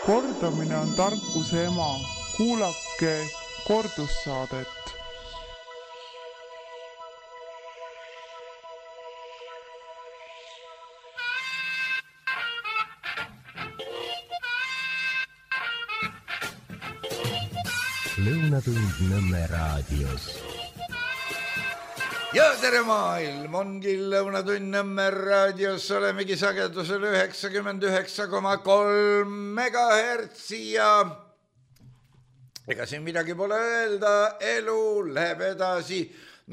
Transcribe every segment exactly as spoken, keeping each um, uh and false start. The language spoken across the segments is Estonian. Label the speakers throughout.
Speaker 1: Kordamine on tarkuse ema. Kuulake kordussaadet.
Speaker 2: Lõunatund Nõmme raadios.
Speaker 3: Ja tere maailm, ongi Lõunatund Nõmme raadios, olemegi sagedusel üheksakümmend üheksa koma kolm megahertsi ja ega siin midagi pole öelda, elu läheb edasi,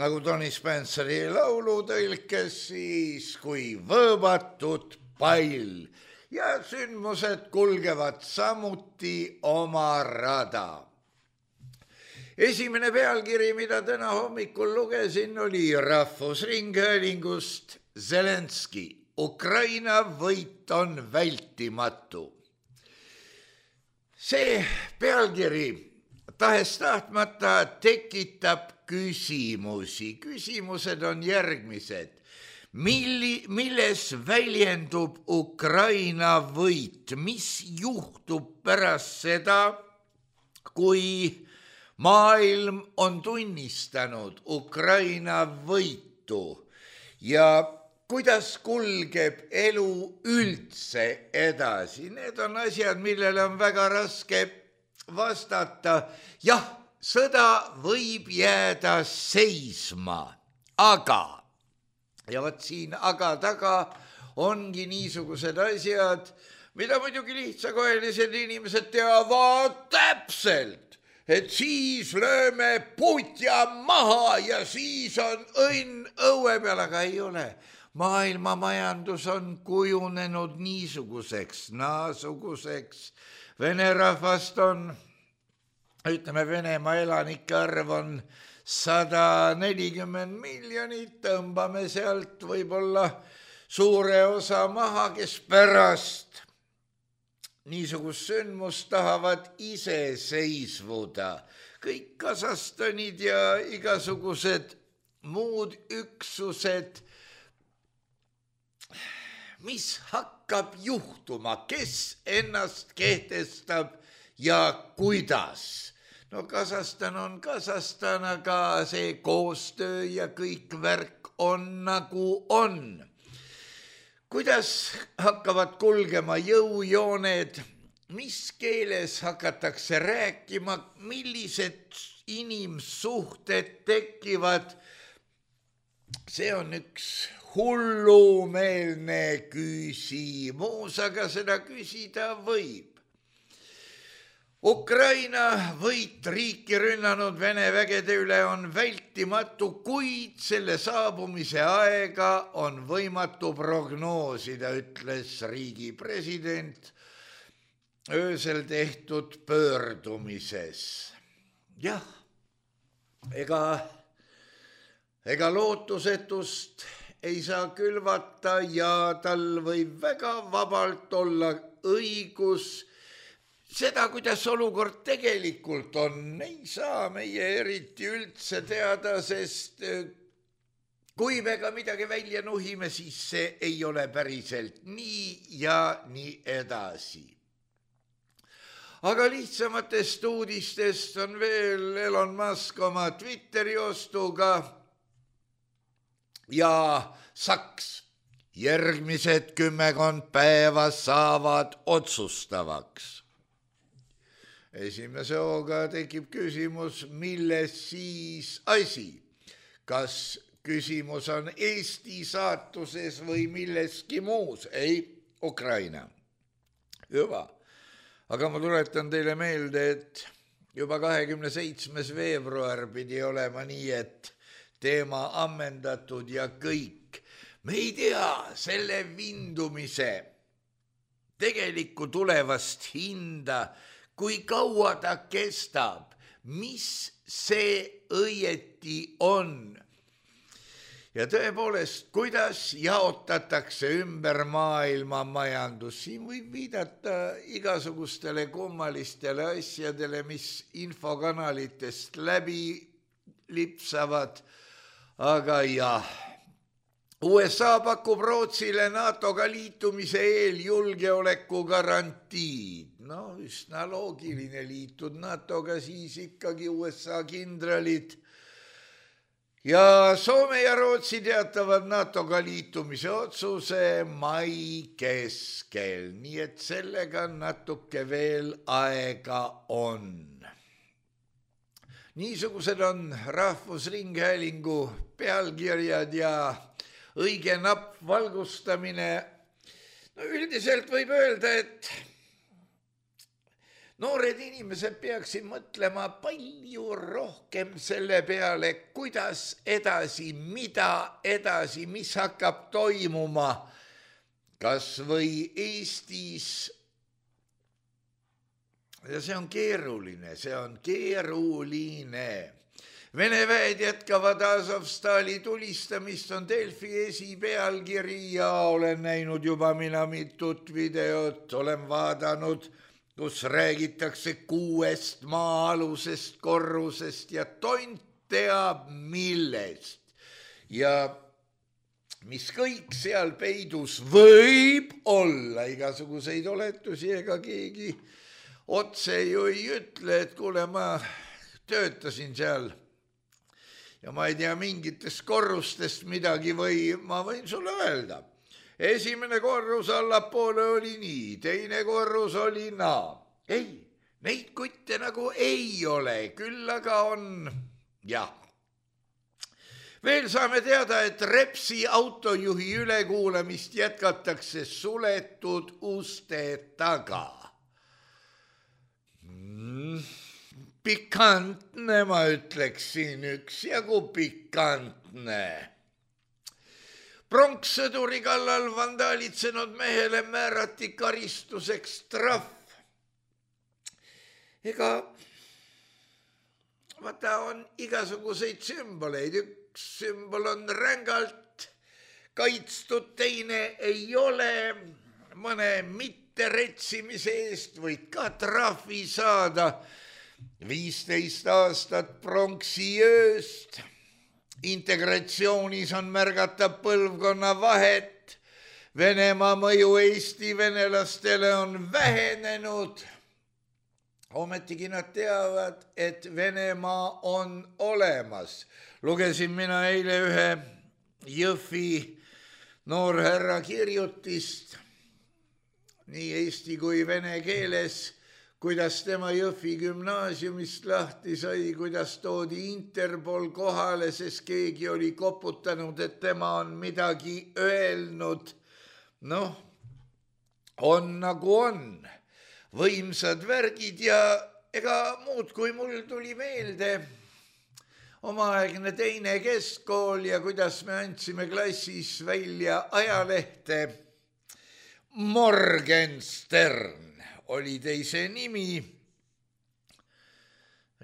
Speaker 3: nagu Tony Spenceri laulu tõlkes siis kui võõbatud pall ja sündmused kulgevad samuti oma rada. Esimene pealkiri, mida täna hommikul lugesin, oli Rahvusringhäälingust Zelenski. Ukraina võit on vältimatu. See pealkiri tahes tahtmata tekitab küsimusi. Küsimused on järgmised. Milli, milles väljendub Ukraina võit? Mis juhtub pärast seda, kui maailm on tunnistanud Ukraina võitu ja kuidas kulgeb elu üldse edasi? Need on asjad, millele on väga raske vastata. Jah, sõda võib jääda seisma, aga, ja võt siin aga taga ongi niisugused asjad, mida muidugi lihtsakoelised inimesed teavad täpselt. Et siis lööme putja maha ja siis on õnn õue peal, aga ei ole. Maailma majandus on kujunenud niisuguseks, naasuguseks. Vene rahvast on, ütleme, Venemaa elanike arv on sada nelikümmend miljonit, tõmbame sealt võib-olla suure osa maha, kes pärast niisugust sündmust tahavad ise seisvuda. Kõik Kasahstanid ja igasugused muud üksused, mis hakkab juhtuma, kes ennast kehtestab ja kuidas. No Kasahstan on Kasahstan, aga see koostöö ja kõik värk on nagu on. Kuidas hakkavad kulgema jõujooned, mis keeles hakatakse rääkima, millised inimsuhted tekivad, see on üks hullumeelne küsimus, aga seda küsida võib. Ukraina võit riiki rünnanud Vene vägede üle on vältimatu, kuid selle saabumise aega on võimatu prognoosida, ütles riigi president öösel tehtud pöördumises. Jah, ega, ega lootusetust ei saa külvata ja tal võib väga vabalt olla õigus. Seda, kuidas olukord tegelikult on, ei saa meie eriti üldse teada, sest kui me ka midagi välja nuhime, siis see ei ole päriselt nii ja nii edasi. Aga lihtsamatest uudistest on veel Elon Musk oma Twitteri ostuga ja Saks. Järgmised kümmekond päeva saavad otsustavaks. Esimese hooga tekib küsimus, milles siis asi? Kas küsimus on Eesti saatuses või milleski muus? Ei, Ukraina. Juba. Aga ma tuletan teile meelde, et juba kahekümne seitsmes veebruar pidi olema nii, et teema ammendatud ja kõik. Me ei tea selle vindumise tegelikku tulevast hinda, kui kaua ta kestab, mis see õieti on. Ja tõepoolest, kuidas jaotatakse ümber maailma majandus. Siin võib viidata igasugustele kummalistele asjadele, mis infokanalitest läbi lipsavad. Aga jah, U S A pakub Rootsile NATOga liitumise eel julgeoleku garantiid. No üsna loogiline, liitud NATOga, siis ikkagi U S A kindralid. Ja Soome ja Rootsi teatavad NATOga liitumise otsuse mai keskel, nii et sellega natuke veel aega on. Niisugused on Rahvusringhäälingu pealkirjad ja õige napp valgustamine. No üldiselt võib öelda, et noored inimesed peaksid mõtlema palju rohkem selle peale, kuidas edasi, mida edasi, mis hakkab toimuma, kas või Eestis. Ja see on keeruline, see on keeruline. Vene väed jätkavad Azovstali tulistamist, on Delfi esipealkiri ja olen näinud juba mina mitut videot, olen vaadanud, kus räägitakse kuuest maa-alusest korrusest ja tont teab millest. Ja mis kõik seal peidus võib olla, igasuguseid oletusi ega keegi otse ju ei ütle, et kuule, ma töötasin seal ja ma ei tea mingitest korrustest midagi või ma võin sulle öelda. Esimene korrus allapoole oli nii, teine korrus oli naa. Ei, neid kutte nagu ei ole, küll aga on, jah. Veel saame teada, et Repsi autojuhi ülekuulamist jätkatakse suletud uste taga. Pikantne, ma ütleksin, üks jagu pikantne. Pronkssõduri kallal vandaalitsenud mehele määrati karistuseks trahv. Ega vaata on igasuguseid sümboleid. Üks sümbol on rängalt kaitstud, teine ei ole. Mõne mitte retsimise eest võid ka trahvi saada. viisteist aastat pronksiööst. Integratsioonis on märgata põlvkonna vahet. Venemaa mõju Eesti venelastele on vähenenud. Ometigi nad teavad, et Venemaa on olemas. Lugesin mina eile ühe Jõhvi noorherra kirjutist nii eesti kui vene keeles, kuidas tema Jõhvi gümnaasiumist lahti sai, kuidas toodi Interpol kohale, sest keegi oli koputanud, et tema on midagi öelnud. Noh, on nagu on. Võimsad värgid ja ega muud, kui mul tuli meelde omaaegne teine keskkool ja kuidas me andsime klassis välja ajalehte. Morgenstern oli teise nimi.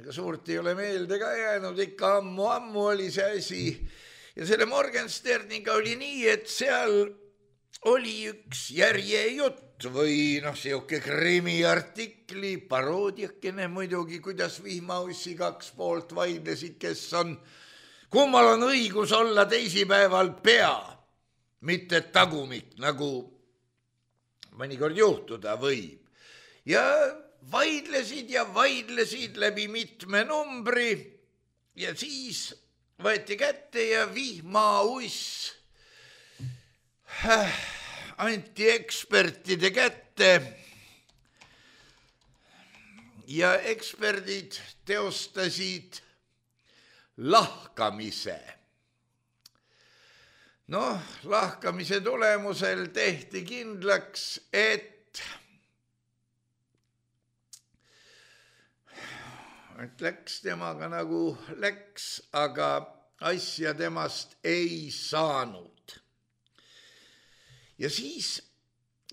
Speaker 3: Ega suurt ei ole meelde ka jäänud, ikka ammu-ammu oli see asi. Ja selle Morgensterniga oli nii, et seal oli üks järjejutt või noh, siuke krimiartikli, paroodiakene muidugi, kuidas Vihmaussi kaks poolt vaidlesid, kes on, kummal on õigus olla teisipäeval pea, mitte tagumik, nagu mõnikord juhtuda võib. Ja vaidlesid ja vaidlesid läbi mitme numbri ja siis võeti kätte ja Vihmauss anti ekspertide kätte ja eksperdid teostasid lahkamise. Noh, lahkamise tulemusel tehti kindlaks, et, et läks temaga nagu läks, aga asja temast ei saanud. Ja siis,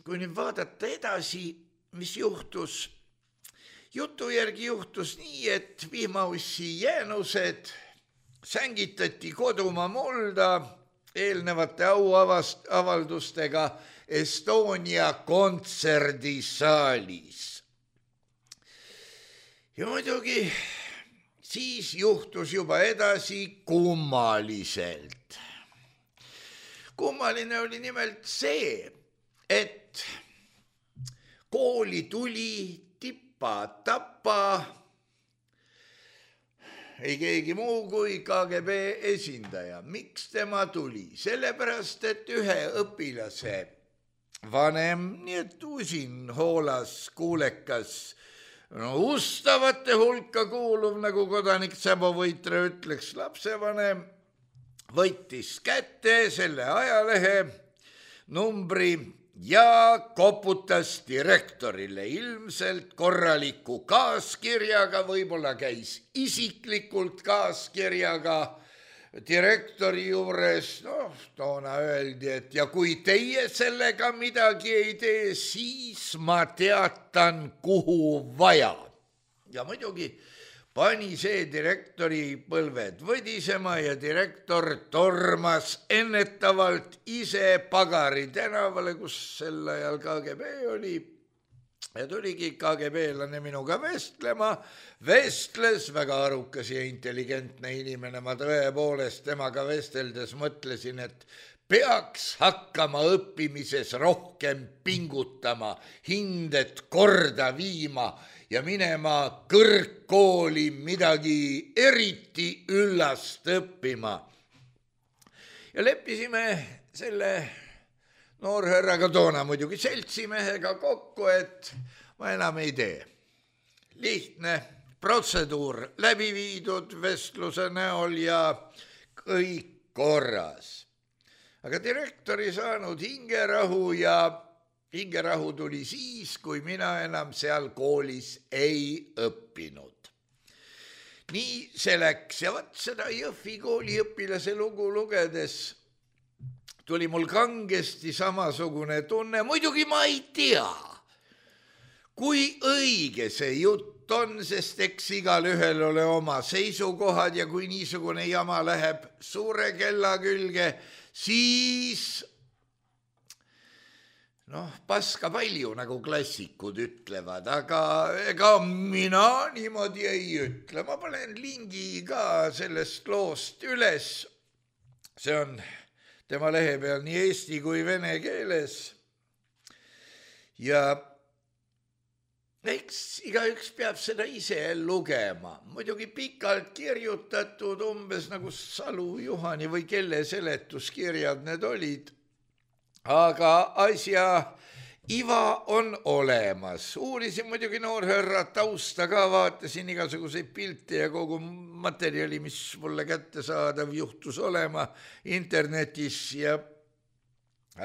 Speaker 3: kui nüüd vaadata edasi, mis juhtus, jutu järgi juhtus nii, et Vihmaussi jäänused sängitati kodumaa mulda eelnevate auavaldustega Estonia kontserdisaalis. Ja muidugi siis juhtus juba edasi kummaliselt. kummaline oli nimelt see, et kooli tuli tippa-tappa ei keegi muu kui K G B esindaja. Miks tema tuli? Sellepärast, et ühe õpilase vanem, nii et usin, hoolas, kuulekas, no ustavate hulka kuuluv, nagu kodanik Säbo Võitre ütleks, lapsevanem võttis kätte selle ajalehe numbri ja koputas direktorile ilmselt korraliku kaaskirjaga, võib-olla käis isiklikult kaaskirjaga direktori juures. No, toona öeldi, et ja kui teie sellega midagi ei tee, siis ma teatan, kuhu vaja. Ja muidugi pani see direktori põlved võdisema ja direktor tormas ennetavalt ise Pagari tänavale, kus sel ajal K G B oli. Ja tuligi K G B-lane minuga vestlema, vestles, väga arukas ja intelligentne inimene. Ma tõepoolest temaga vesteldes mõtlesin, et peaks hakkama õppimises rohkem pingutama, hinded korda viima ja minema kõrgkooli midagi eriti üllast õppima. Ja leppisime selle noorhärraga, toona muidugi seltsimehega kokku, et ma enam ei tee. Lihtne protseduur läbi viidud vestluse näol ja kõik korras. Aga direktor ei saanud hingerahu ja hingerahu tuli siis, kui mina enam seal koolis ei õppinud. Nii see läks ja vaat seda Jõhvi kooli õpilase lugu lugedes tuli mul kangesti samasugune tunne. Muidugi ma ei tea, kui õige see jutt on, sest eks igal ühel ole oma seisukohad ja kui niisugune jama läheb suure kella külge, siis noh, paska palju, nagu klassikud ütlevad, aga ega mina niimoodi ei ütle. Ma panen lingi ka sellest loost üles. See on tema lehe peal nii eesti kui vene keeles. Ja eks igaüks peab seda ise lugema. Muidugi pikalt kirjutatud, umbes nagu Salu, Juhani või kelle seletuskirjad need olid. Aga asja iva on olemas. Uurisin muidugi noorhärra tausta ka, vaatasin igasuguseid pilte ja kogu materjali, mis mulle kättesaadav juhtus olema internetis ja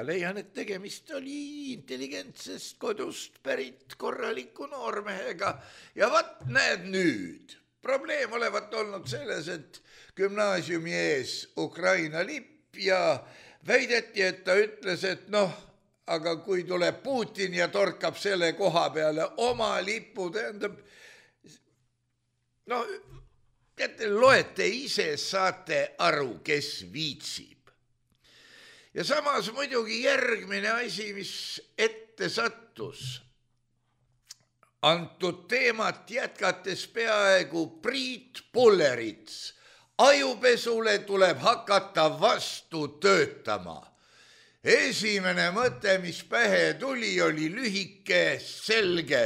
Speaker 3: leian, et tegemist oli intelligentsest kodust pärit korraliku noormehega. Ja vaat näed nüüd, probleem olevat olnud selles, et gümnaasiumi ees Ukraina lipp ja väideti, et ta ütles, et noh, aga kui tuleb Putin ja torkab selle koha peale oma lipu, tähendab, no, teate, loete ise, saate aru, kes viitsib. Ja samas muidugi järgmine asi, mis ette sattus, antud teemat jätkates peaaegu Priit Pullerits, ajupesule tuleb hakata vastu töötama. Esimene mõte, mis pähe tuli, oli lühike, selge,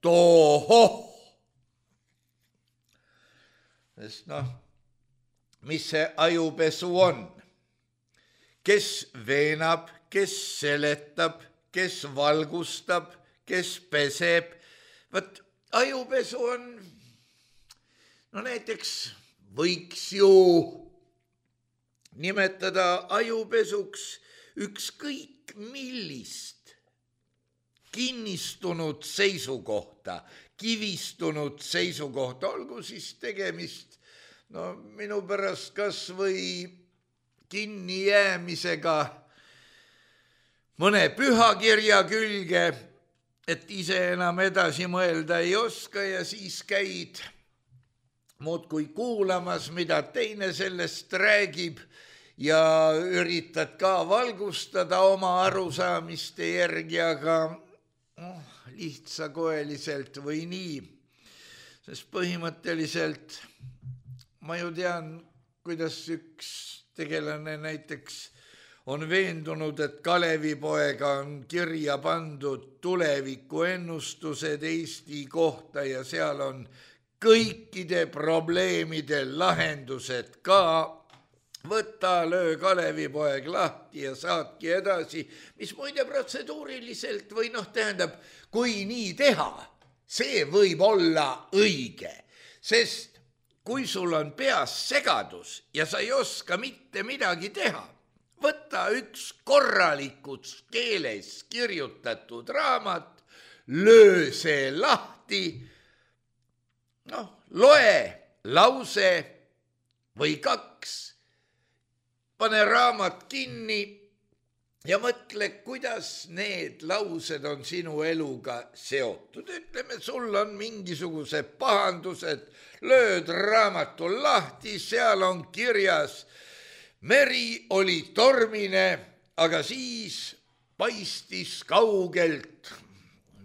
Speaker 3: tohoh. Sest noh, mis see ajupesu on? Kes veenab, kes seletab, kes valgustab, kes peseb. Võt, ajupesu on, no näiteks võiks ju nimetada ajupesuks ükskõik millist kinnistunud seisukohta, kivistunud seisukohta, olgu siis tegemist, no minu pärast kas või kinni jäämisega mõne pühakirja külge, et ise enam edasi mõelda ei oska ja siis käid muudkui kuulamas, mida teine sellest räägib ja üritad ka valgustada oma arusaamiste järgi, aga oh, lihtsakoeliselt või nii. Sest põhimõtteliselt ma ju tean, kuidas üks tegelane näiteks on veendunud, et Kalevipoega on kirja pandud tuleviku ennustused Eesti kohta ja seal on kõikide probleemide lahendused ka. Võta, löö Kalevipoeg lahti ja saatki edasi, mis muide protseduuriliselt või noh, tähendab, kui nii teha, see võib olla õige, sest kui sul on peas segadus ja sa ei oska mitte midagi teha, võta üks korralikus keeles kirjutatud raamat, löö see lahti, noh, loe lause või kaks, pane raamat kinni ja mõtle, kuidas need laused on sinu eluga seotud. Ütleme, sul on mingisugused pahandused, lööd raamatu lahti, seal on kirjas, meri oli tormine, aga siis paistis kaugelt,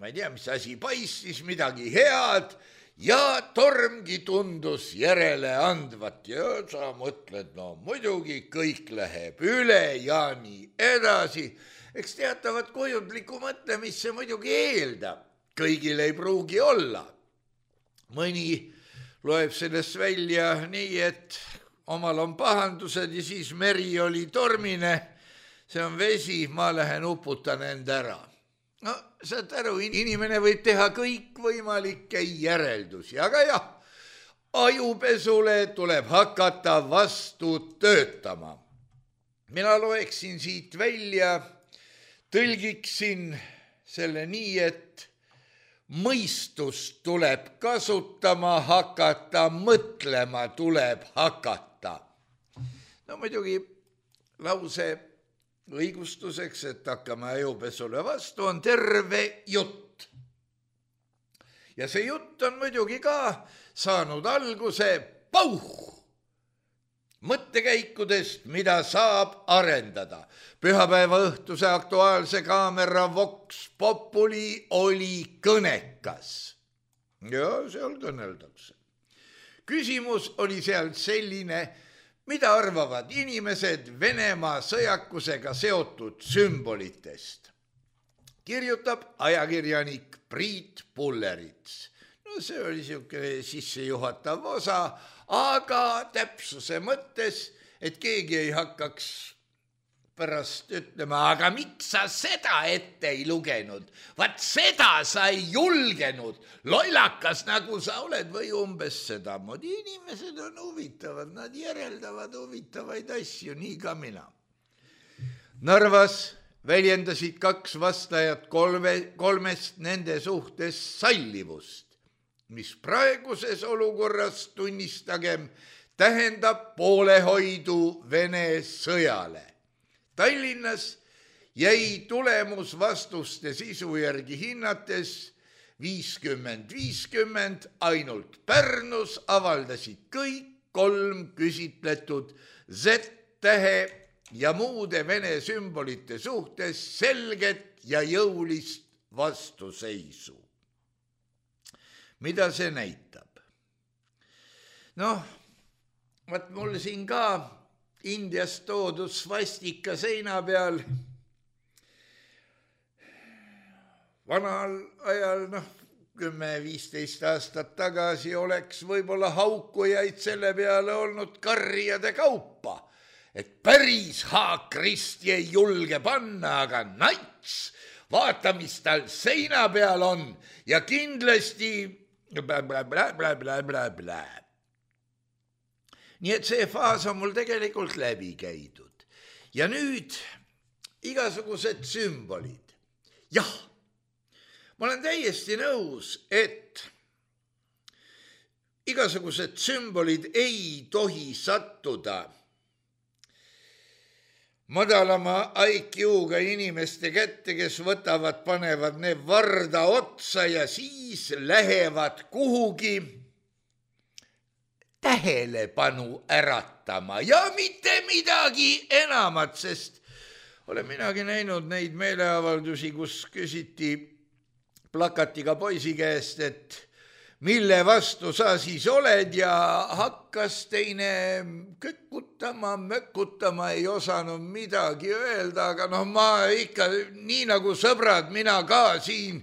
Speaker 3: ma ei tea, mis asi paistis, midagi head, ja tormgi tundus järele andvat ja sa mõtled, no muidugi kõik läheb üle ja nii edasi. Eks teatavat kujundlikku mõtlemist see muidugi eeldab. Kõigil ei pruugi olla. Mõni loeb sellest välja nii, et omal on pahandused ja siis meri oli tormine. See on vesi, ma lähen uputan end ära. No, saad aru, inimene võib teha kõikvõimalikke järeldusi, aga jah, ajupesule tuleb hakata vastu töötama. Mina loeksin siit välja, tõlgiksin selle nii, et mõistust tuleb kasutama hakata, mõtlema tuleb hakata. No muidugi lause õigustuseks, et hakkame ajupesule vastu, on terve jutt. Ja see jutt on muidugi ka saanud alguse pauh mõttekäikudest, mida saab arendada. Pühapäeva õhtuse Aktuaalse Kaamera Vox Populi oli kõnekas. Ja seal kõneldakse. Küsimus oli seal selline, mida arvavad inimesed Venemaa sõjakusega seotud sümbolitest? Kirjutab ajakirjanik Priit Pullerits. No see oli siuke sissejuhatav osa, aga täpsuse mõttes, et keegi ei hakkaks pärast ütlema, aga miks sa seda ette ei lugenud? Vaat seda sa ei julgenud, lollakas nagu sa oled või umbes seda. Moodi inimesed on huvitavad, nad järeldavad huvitavaid asju, nii ka mina. Narvas väljendasid kaks vastajat kolme, kolmest nende suhtes sallivust, mis praeguses olukorras tunnistagem tähendab poolehoidu Vene sõjale. Tallinnas jäi tulemus vastuste sisu järgi hinnates viiskümmend viiskümmend, ainult Pärnus avaldasid kõik kolm küsitletud Z-tähe ja muude Vene sümbolite suhtes selget ja jõulist vastuseisu. Mida see näitab? Noh, vaat mul siin ka Indiast toodud svastika seina peal. Vanal ajal, noh, kümme viisteist aastat tagasi oleks võib-olla haukujaid selle peale olnud karjade kaupa, et päris haakristi ei julge panna, aga nats, vaata, mis tal seina peal on ja kindlasti blä, blä, blä, blä, blä, blä, blä. Nii et see faas on mul tegelikult läbi käidud. Ja nüüd igasugused sümbolid. Jah, ma olen täiesti nõus, et igasugused sümbolid ei tohi sattuda madalama I Q-ga inimeste kätte, kes võtavad, panevad need varda otsa ja siis lähevad kuhugi tähelepanu äratama ja mitte midagi enamat, sest olen minagi näinud neid meeleavaldusi, kus küsiti plakatiga poisi käest, et mille vastu sa siis oled ja hakkas teine kõkkutama, mökkutama, ei osanud midagi öelda, aga noh, ma ikka nii nagu sõbrad, mina ka siin,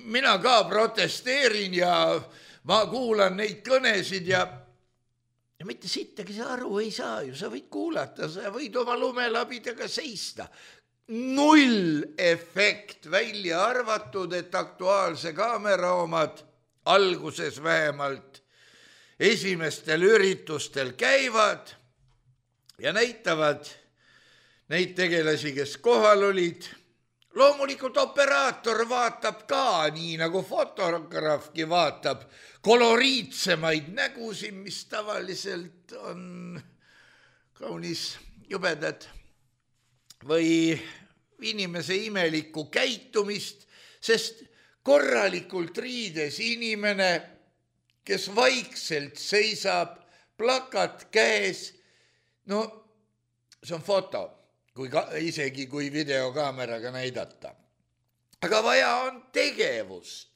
Speaker 3: mina ka protesteerin ja ma kuulan neid kõnesid ja ja mitte sittagi sa aru ei saa ju, sa võid kuulata, sa võid oma lumelabidega seista. Null efekt, välja arvatud, et Aktuaalse Kaamera omad alguses vähemalt esimestel üritustel käivad ja näitavad neid tegelasi, kes kohal olid. Loomulikult operaator vaatab ka, nii nagu fotograafki vaatab, koloriitsemaid nägusid, mis tavaliselt on kaunis jubedad või inimese imelikku käitumist, sest korralikult riides inimene, kes vaikselt seisab, plakat käes, no see on foto, kui ka, isegi kui videokaameraga näidata. Aga vaja on tegevust.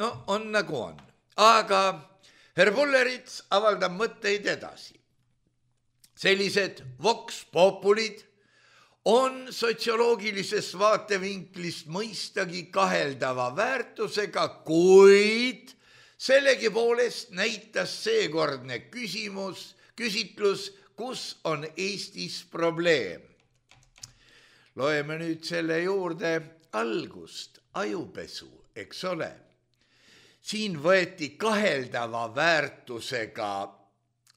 Speaker 3: No on nagu on. Aga Herr Pullerits avaldab mõtteid edasi. Sellised vox populid on sotsioloogilises vaatevinklist mõistagi kaheldava väärtusega, kuid sellegipoolest näitas seekordne küsimus, küsitlus, kus on Eestis probleem. Loeme nüüd selle juurde algust, ajupesu, eks ole. Siin võeti kaheldava väärtusega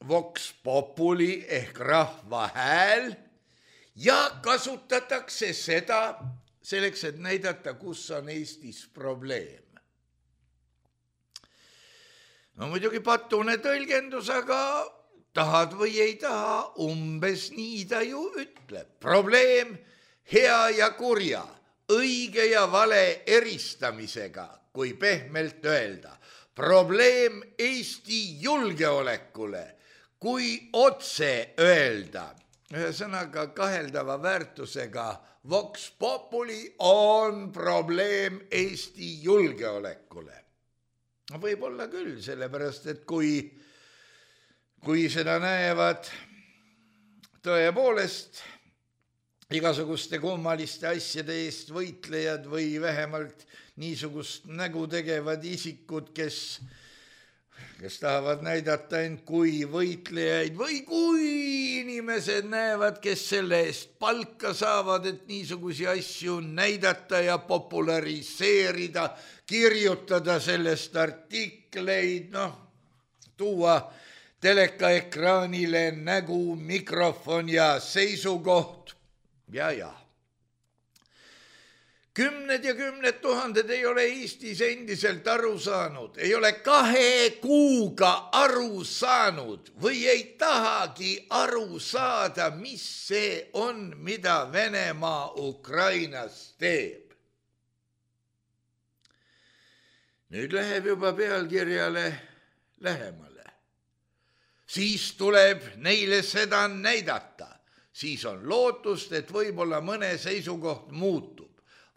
Speaker 3: vox populi ehk rahva hääl ja kasutatakse seda selleks, et näidata, kus on Eestis probleem. No muidugi patune tõlgendus, aga tahad või ei taha, umbes nii ta ju ütleb. Probleem hea ja kurja, õige ja vale eristamisega, kui pehmelt öelda. Probleem Eesti julgeolekule, kui otse öelda. Ühesõnaga kaheldava väärtusega vox populi on probleem Eesti julgeolekule. Võib olla küll, sellepärast, et kui, kui seda näevad tõepoolest igasuguste kummaliste asjade eest võitlejad või vähemalt niisugust nägu tegevad isikud, kes, kes tahavad näidata end kui võitlejaid või kui inimesed näevad, kes selle eest palka saavad, et niisugusi asju näidata ja populariseerida, kirjutada sellest artikleid, noh, tuua telekaekraanile nägu, mikrofon ja seisukoht. Ja, ja. Kümned ja kümned tuhanded ei ole Eestis endiselt aru saanud, ei ole kahe kuuga aru saanud või ei tahagi aru saada, mis see on, mida Venemaa Ukrainas teeb. Nüüd läheb juba pealkirjale lähemale. Siis tuleb neile seda näidata. Siis on lootust, et võib-olla mõne seisukoht muutub.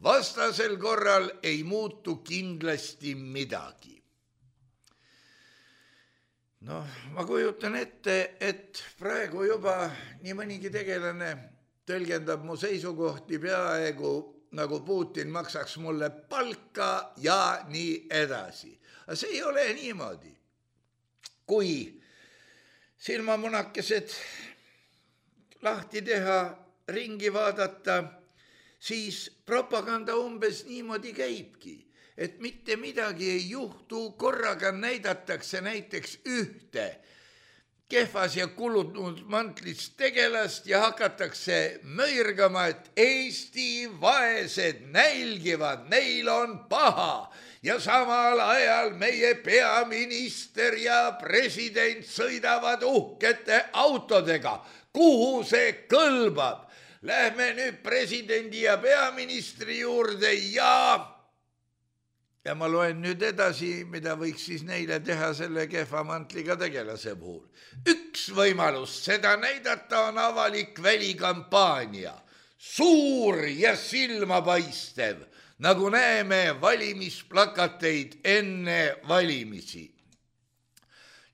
Speaker 3: Vastasel korral ei muutu kindlasti midagi. Noh, ma kujutan ette, et praegu juba nii mõnigi tegelane tõlgendab mu seisukohti peaaegu nagu Putin maksaks mulle palka ja nii edasi. Aga see ei ole niimoodi. Kui silmamunakesed lahti teha, ringi vaadata, siis propaganda umbes niimoodi käibki, et mitte midagi ei juhtu, korraga näidatakse näiteks ühte kehvas ja kulunud mantlis tegelast ja hakatakse möirgama, et Eesti vaesed nälgivad, neil on paha ja samal ajal meie peaminister ja president sõidavad uhkete autodega. Kuhu see kõlbab? Lähme nüüd presidendi ja peaministri juurde ja... Ja ma loen nüüd edasi, mida võiks siis neile teha selle kehva mantliga tegelase puhul. Üks võimalus seda näidata on avalik välikampaania. Suur ja silmapaistev, nagu näeme valimisplakateid enne valimisi.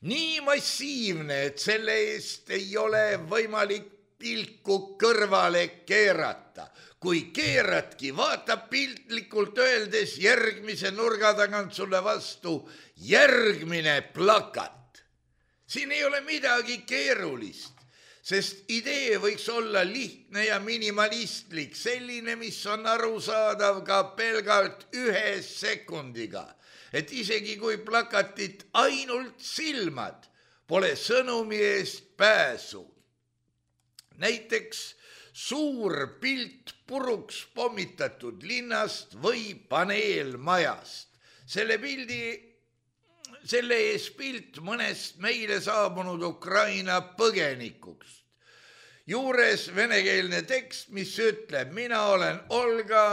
Speaker 3: Nii massiivne, et selle eest ei ole võimalik pilku kõrvale keerata. Kui keeratki, vaatab piltlikult öeldes järgmise nurga tagant sulle vastu järgmine plakat. Siin ei ole midagi keerulist, sest idee võiks olla lihtne ja minimalistlik, selline, mis on arusaadav ka pelgalt ühe sekundiga. Et isegi kui plakatit ainult silmad, pole sõnumi eest pääsu. Näiteks suur pilt puruks pommitatud linnast või paneelmajast. Selle pildi, selle ees pilt mõnest meile saabunud Ukraina põgenikuks. Juures venekeelne tekst, mis ütleb, mina olen Olga,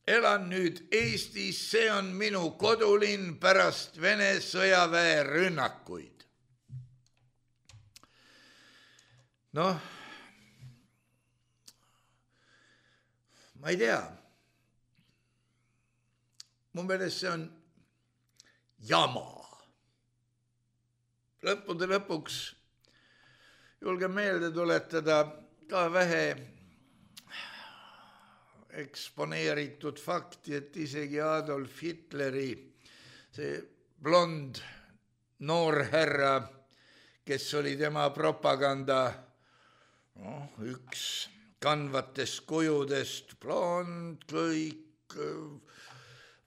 Speaker 3: elan nüüd Eestis, see on minu kodulinn pärast Vene sõjaväe rünnakuid. Noh, ma ei tea. Mu meelest see on jama. Lõppude lõpuks julgen meelde tuletada ka vähe eksponeeritud fakti, et isegi Adolf Hitleri, see blond noorherra, kes oli tema propaganda no, üks kandvatest kujudest, blond, kõik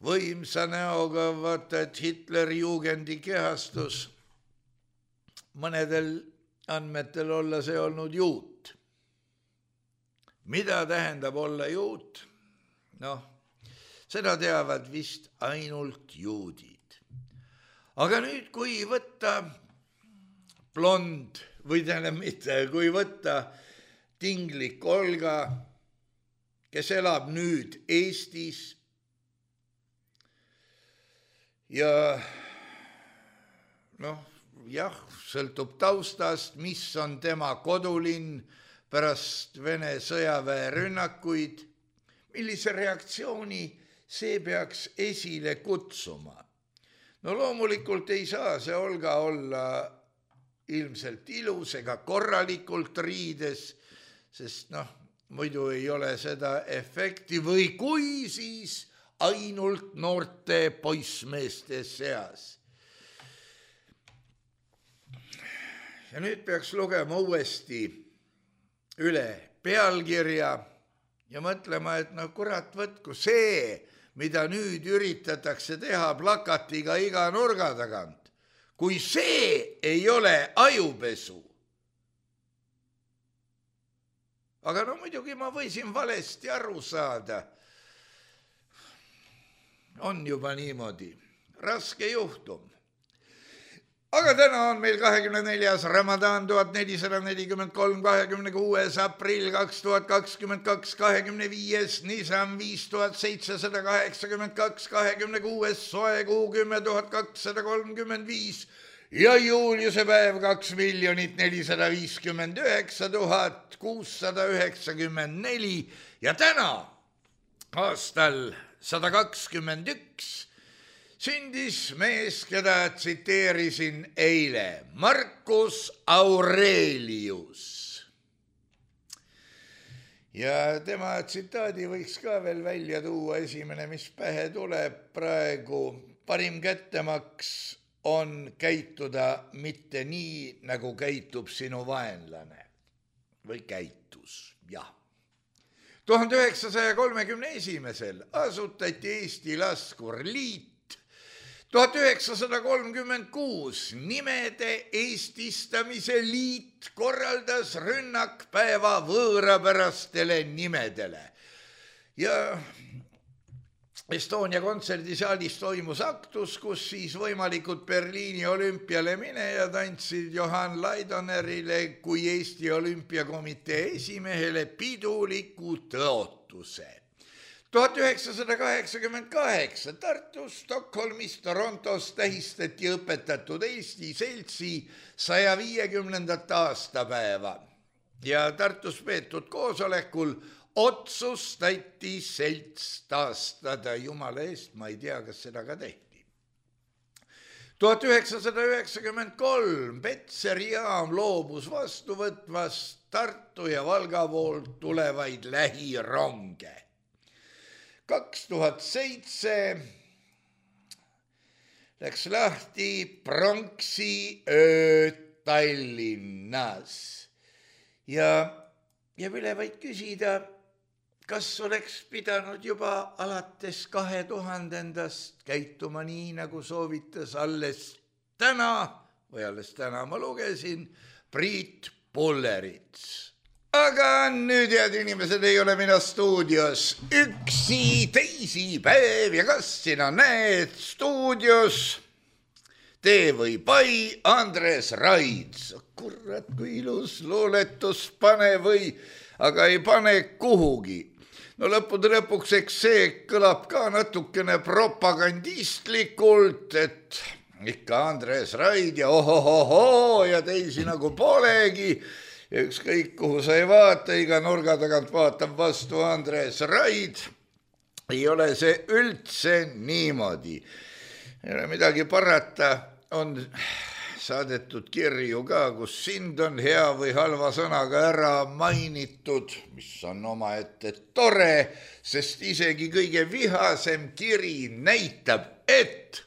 Speaker 3: võimsa näoga, vaata, et Hitleri juugendi kehastus, mõnedel andmetel olla see olnud juut. Mida tähendab olla juut? Noh, seda teavad vist ainult juudid. Aga nüüd, kui võtta blond, või tähendab mitte, kui võtta tinglik Olga, kes elab nüüd Eestis ja noh, jah, sõltub taustast, mis on tema kodulinn pärast Vene sõjaväe rünnakuid, millise reaktsiooni see peaks esile kutsuma. No loomulikult ei saa see Olga olla ilmselt ilus ega korralikult riides, sest noh, muidu ei ole seda efekti või kui siis ainult noorte poissmeeste seas. Ja nüüd peaks lugema uuesti üle pealkirja ja mõtlema, et no kurat võtku see, mida nüüd üritatakse teha plakatiga iga nurga tagant, kui see ei ole ajupesu. Aga no muidugi ma võisin valesti aru saada. On juba niimoodi. Raske juhtum. Aga täna on meil kahekümne neljas Ramadan tuhat nelisada nelikümmend kolm, kahekümne kuues aprill kaks tuhat kakskümmend kaks, kahekümne viies Nisan viis tuhat seitsesada kaheksakümmend kaks, kahekümne kuues soe kuu kümme tuhat kakssada kolmkümmend viis ja juuliuse päev kaks miljonit nelisada viiskümmend üheksa tuhat kuussada üheksakümmend neli ja täna aastal sada kakskümmend üks sündis mees, keda tsiteerisin eile, Marcus Aurelius. Ja tema tsitaadi võiks ka veel välja tuua, esimene, mis pähe tuleb praegu. Parim kättemaks on käituda mitte nii, nagu käitub sinu vaenlane. Või käitus, jah. tuhande üheksasaja kolmekümne esimesel asutati Eesti Laskurliit. tuhat üheksasada kolmkümmend kuus nimede eestistamise liit korraldas rünnakpäeva võõrapärastele nimedele. Ja Estonia kontserdisaalis toimus aktus, kus siis võimalikud Berliini olümpiale minejad andsid Johan Laidonerile kui Eesti olümpiakomitee esimehele piduliku tõotuse. tuhat üheksasada kaheksakümmend kaheksa Tartus, Stockholmis, Torontos tähistati õpetatud Eesti seltsi saja viiekümnendat aastapäeva ja Tartus peetud koosolekul otsustati selts taastada. Jumala eest, ma ei tea, kas seda ka tehti. tuhat üheksasada üheksakümmend kolm Petseri jaam loobus vastu võtvast Tartu ja Valga poolt tulevaid lähironge. kaks tuhat seitse läks lahti pronksi öö Tallinnas. Ja jääb üle vaid küsida, kas oleks pidanud juba alates kahe tuhandendast käituma nii, nagu soovitas alles täna, või alles täna ma lugesin, Priit Pullerits. Aga nüüd, head inimesed, ei ole mina stuudios üksi teisipäev ja kas sina näed stuudios Tee või Pai Andres Raids. Kurat, kui ilus luuletus, pane või, aga ei pane kuhugi. No lõppude lõpuks, eks see kõlab ka natukene propagandistlikult, et ikka Andres Raid ja ohohoho ja teisi nagu polegi. Ja ükskõik kuhu sa ei vaata, iga nurga tagant vaatab vastu Andres Raid. Ei ole see üldse niimoodi. Ei ole midagi parata, on saadetud kirju ka, kus sind on hea või halva sõnaga ära mainitud, mis on omaette tore, sest isegi kõige vihasem kiri näitab, et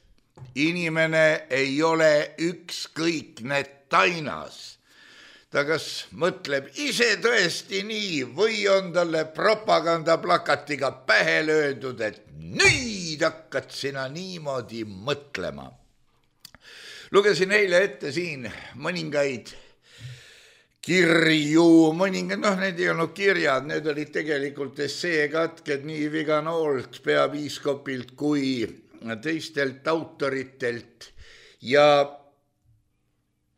Speaker 3: inimene ei ole ükskõikne tainas. Ta kas mõtleb ise tõesti nii või on talle propagandaplakatiga pähe löödud, et nüüd hakkad sina niimoodi mõtlema. Lugesin eile ette siin mõningaid kirju, mõningad, noh, need ei olnud kirjad, need olid tegelikult esseekatked nii Viganoolt, peapiiskopilt kui teistelt autoritelt ja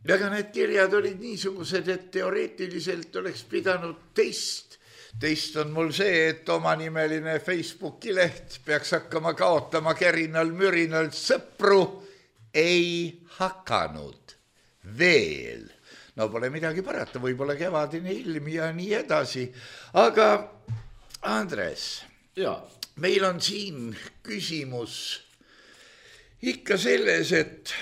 Speaker 3: aga need kirjad olid niisugused, et teoreetiliselt oleks pidanud teist. Teist on mul see, et omanimeline Facebooki leht peaks hakkama kaotama kärinal mürinal sõpru, ei hakanud veel. No pole midagi parata, võib-olla kevadine ilm ja nii edasi. Aga Andres, ja. Meil on siin küsimus ikka selles, et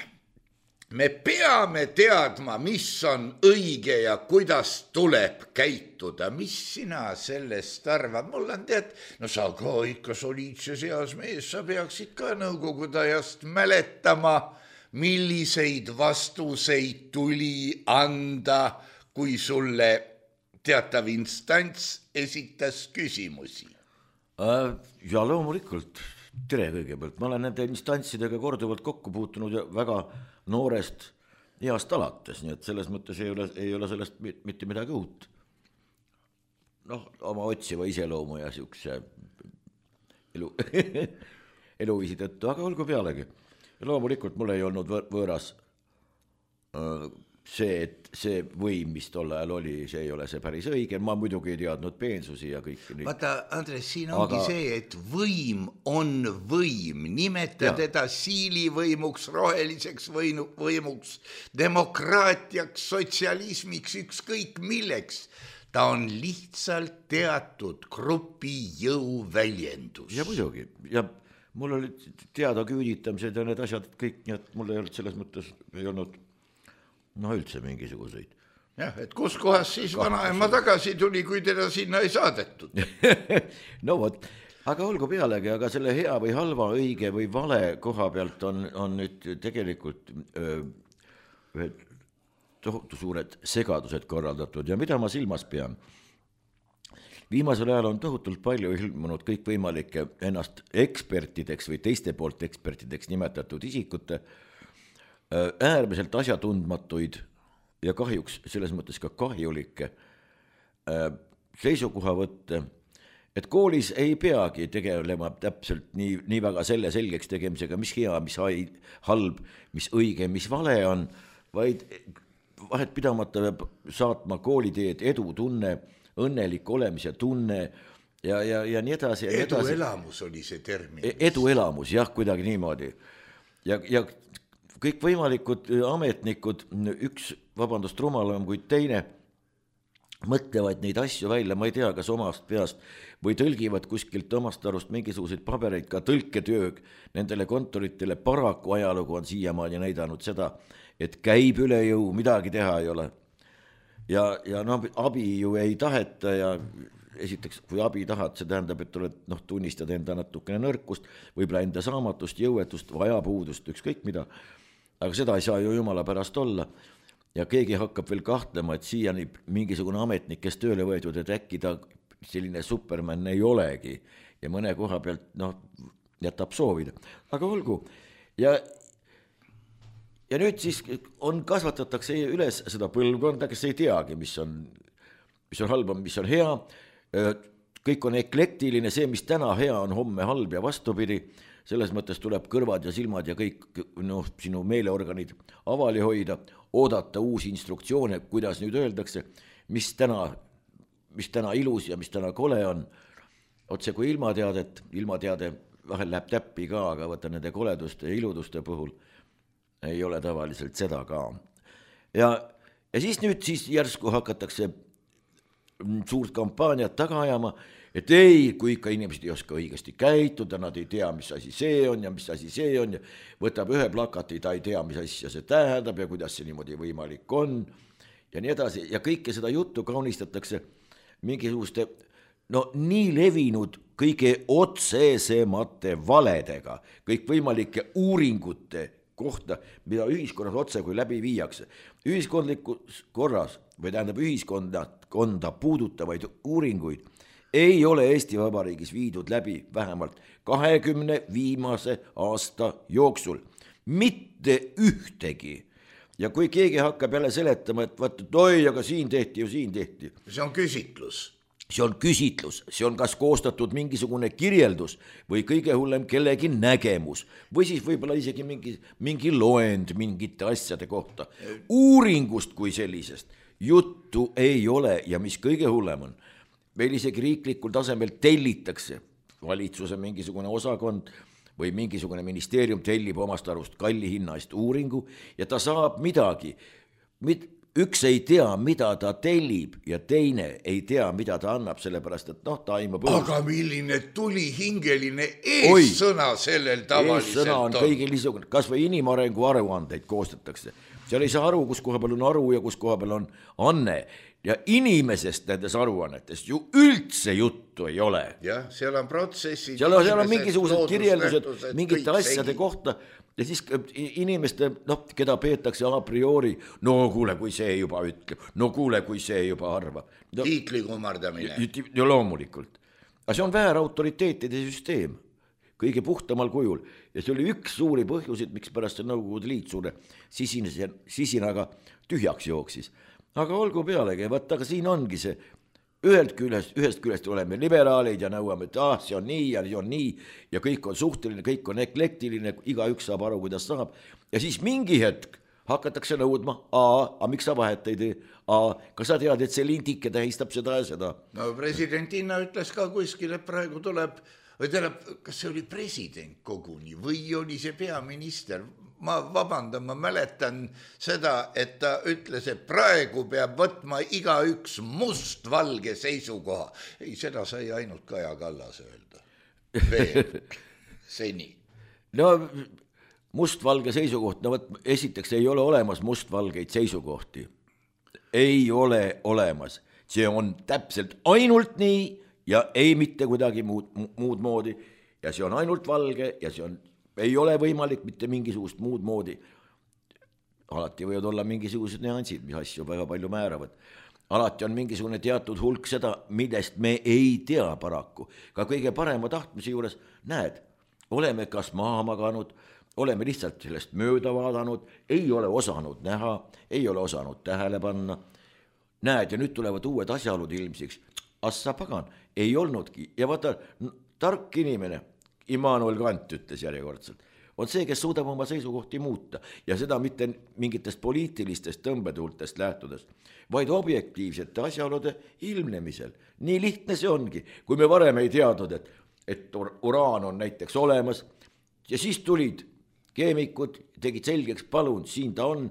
Speaker 3: me peame teadma, mis on õige ja kuidas tuleb käituda. Mis sina sellest arvad? Mul on tead, no sa ka ikka soliidses eas mees, sa peaksid ka nõukogude ajast mäletama, milliseid vastuseid tuli anda, kui sulle teatav instants esitas küsimusi.
Speaker 2: Ja loomulikult, tere kõigepealt. Ma olen nende instantsidega korduvalt kokku puutunud ja väga noorest east alates, nii et selles mõttes ei ole, ei ole sellest mitte midagi uut. Noh, oma otsiva iseloomu ja siukse elu, eluviisi tõttu, aga olgu pealegi. Ja loomulikult mul ei olnud võõras see, et see võim, mis tol ajal oli, see ei ole see päris õige. Ma muidugi ei teadnud peensusi ja kõik.
Speaker 3: Vaata, Andres, siin ongi aga... see, et võim on võim. Nimeta ja. Teda siilivõimuks, roheliseks võimuks, demokraatiaks, sotsialismiks, ükskõik milleks. Ta on lihtsalt teatud grupi jõu väljendus.
Speaker 2: Ja muidugi. Ja mul oli teada küüditamised ja need asjad kõik, nii et mul ei olnud selles mõttes, ei olnud no üldse mingisuguseid.
Speaker 3: Jah, et kus kohas siis vanaema tagasi tuli, kui teda sinna ei saadetud?
Speaker 2: No vot, aga olgu pealegi, aga selle hea või halva, õige või vale koha pealt on, on nüüd tegelikult öö, ühed tohutu suured segadused korraldatud ja mida ma silmas pean? Viimasel ajal on tohutult palju ilmunud kõikvõimalike ennast ekspertideks või teiste poolt ekspertideks nimetatud isikute äärmiselt asjatundmatuid ja kahjuks selles mõttes ka kahjulikke seisukohavõtte, et koolis ei peagi tegelema täpselt nii, nii väga selle selgeks tegemisega, mis hea, mis halb, mis õige, mis vale on, vaid vahet pidamata peab saatma kooliteed edu tunne, õnnelik olemise tunne ja, ja, ja nii edasi.
Speaker 3: Edu elamus oli see termin.
Speaker 2: Edu elamus, jah, kuidagi niimoodi. Ja, ja kõik võimalikud ametnikud, üks, vabandust, rumalam kui teine, mõtlevad neid asju välja, ma ei tea, kas omast peast või tõlgivad kuskilt omast arust mingisuguseid pabereid, ka tõlketöö nendele kontoritele. Paraku ajalugu on siiamaani näidanud seda, et käib üle jõu, midagi teha ei ole. Ja, ja no, abi ju ei taheta ja esiteks, kui abi tahad, see tähendab, et oled, noh, tunnistad enda natukene nõrkust, võib-olla enda saamatust, jõuetust, vajapuudust, ükskõik mida. Aga seda ei saa ju jumala pärast olla. Ja keegi hakkab veel kahtlema, et siiani mingisugune ametnik, kes tööle võetud, et äkki ta selline superman ei olegi ja mõne koha pealt, noh, jätab soovida. Aga olgu. Ja, ja nüüd siis on, kasvatatakse üles seda põlvkonda, kes ei teagi, mis on, mis on halb, mis on hea. Kõik on eklektiline, see, mis täna hea on, homme halb ja vastupidi. Selles mõttes tuleb kõrvad ja silmad ja kõik, noh, sinu meeleorganid avali hoida, oodata uusi instruktsioone, kuidas nüüd öeldakse, mis täna, mis täna ilus ja mis täna kole on. Otse kui ilmateadet, ilmateade vahel läheb täppi ka, aga võtta nende koleduste ja iluduste puhul ei ole tavaliselt seda ka. Ja, ja siis nüüd siis järsku hakatakse suurt kampaaniat taga ajama, et ei, kui ikka inimesed ei oska õigesti käituda, nad ei tea, mis asi see on ja mis asi see on ja võtab ühe plakati, ta ei tea, mis asja see tähendab ja kuidas see niimoodi võimalik on ja nii edasi. Ja kõike seda juttu kaunistatakse mingisuguste, no nii levinud kõige otsesemate valedega, kõik võimalike uuringute kohta, mida ühiskonnas otse kui läbi viiakse. Ühiskondlikus korras või tähendab ühiskonda konda puudutavaid uuringuid ei ole Eesti Vabariigis viidud läbi vähemalt kahekümne viimase aasta jooksul. Mitte ühtegi. Ja kui keegi hakkab jälle seletama, et vaat, et oi, aga siin tehti ju siin tehti.
Speaker 3: See on küsitlus.
Speaker 2: See on küsitlus, see on kas koostatud mingisugune kirjeldus või kõige hullem kellegi nägemus või siis võib-olla isegi mingi, mingi loend mingite asjade kohta. Uuringust kui sellisest juttu ei ole ja mis kõige hullem on. Meil isegi riiklikul tasemel tellitakse valitsuse mingisugune osakond või mingisugune ministeerium tellib omast arust kalli hinna eest uuringu ja ta saab midagi. Üks ei tea, mida ta tellib ja teine ei tea, mida ta annab, sellepärast, et noh, ta aimab õus.
Speaker 3: Aga milline tuli hingeline eessõna sellel tavaliselt
Speaker 2: eessõna on. Kõigil niisugune, kas või inimarengu aruandeid koostatakse. Seal ei saa aru, kus koha peal on aru ja kus koha peal on anne. Ja inimesest nendes aruannetest ju üldse juttu ei ole.
Speaker 3: Jah, seal on protsessid.
Speaker 2: Seal on, seal on mingisugused kirjeldused mingite asjade segi. Kohta ja siis inimeste, noh, keda peetakse a priori, no kuule, kui see juba ütleb, no kuule, kui see juba arvab. No,
Speaker 3: tiitli kummardamine.
Speaker 2: Ja loomulikult. Aga see on väär autoriteetide süsteem, kõige puhtamal kujul. Ja see oli üks suuri põhjusid, miks pärast see Nõukogude Liit suure sisinaga tühjaks jooksis. Aga olgu pealegi, vaat, aga siin ongi see, ühelt küljest, ühest küljest oleme liberaalid ja nõuame, et ah, see on nii ja see on nii ja kõik on suhteline, kõik on eklektiline, iga üks saab aru, kuidas saab. Ja siis mingi hetk hakatakse nõudma, aa, a miks sa vahet ei tee, aa, kas sa tead, et see lintike tähistab seda ja seda?
Speaker 3: No presidentina ütles ka kuskil, et praegu tuleb, või tuleb, kas see oli president koguni või oli see peaminister? Ma vabandan, ma mäletan seda, et ta ütles, et praegu peab võtma iga üks mustvalge seisukoha. Ei, seda sai ainult Kaja Kallas öelda. Veel, seni.
Speaker 2: No mustvalge seisukoht, no võt, esiteks ei ole olemas mustvalgeid seisukohti. Ei ole olemas. See on täpselt ainult nii ja ei mitte kuidagi muud, muud moodi. Ja see on ainult valge ja see on ei ole võimalik mitte mingisugust muud moodi. Alati võivad olla mingisugused nüansid, mis asju väga palju määravad. Alati on mingisugune teatud hulk seda, millest me ei tea paraku. Ka kõige parema tahtmise juures, näed, oleme kas maha maganud, oleme lihtsalt sellest mööda vaadanud, ei ole osanud näha, ei ole osanud tähele panna. Näed, ja nüüd tulevad uued asjaolud ilmsiks. Assa pagan, ei olnudki. Ja vaata, tark inimene, Immanuel Kant ütles järjekordselt, on see, kes suudab oma seisukohti muuta ja seda mitte mingitest poliitilistest tõmbetuultest lähtudes, vaid objektiivsete asjaolude ilmnemisel. Nii lihtne see ongi, kui me varem ei teadnud, et, et uraan on näiteks olemas ja siis tulid keemikud, tegid selgeks, palun, siin ta on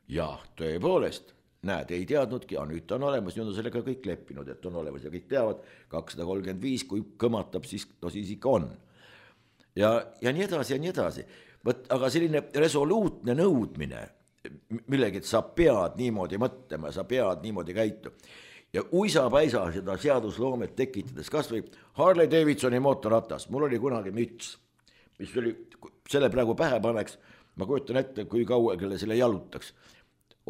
Speaker 2: ja tõepoolest, näed, ei teadnudki, aga nüüd ta on olemas, nüüd on sellega kõik leppinud, et on olemas ja kõik teavad, kakssada kolmkümmend viis, kui kõmatab, siis, no siis ikka on. Ja, ja nii edasi ja nii edasi. Võt, aga selline resoluutne nõudmine, millegi, et sa pead niimoodi mõtlema, sa pead niimoodi käitu. Ja uisa-päisa seda seadusloomet tekitades, kas või Harley Davidsoni mootorratas, mul oli kunagi müts, mis oli, selle praegu pähe paneks, ma kujutan ette, kui kaua kelle selle jalutaks.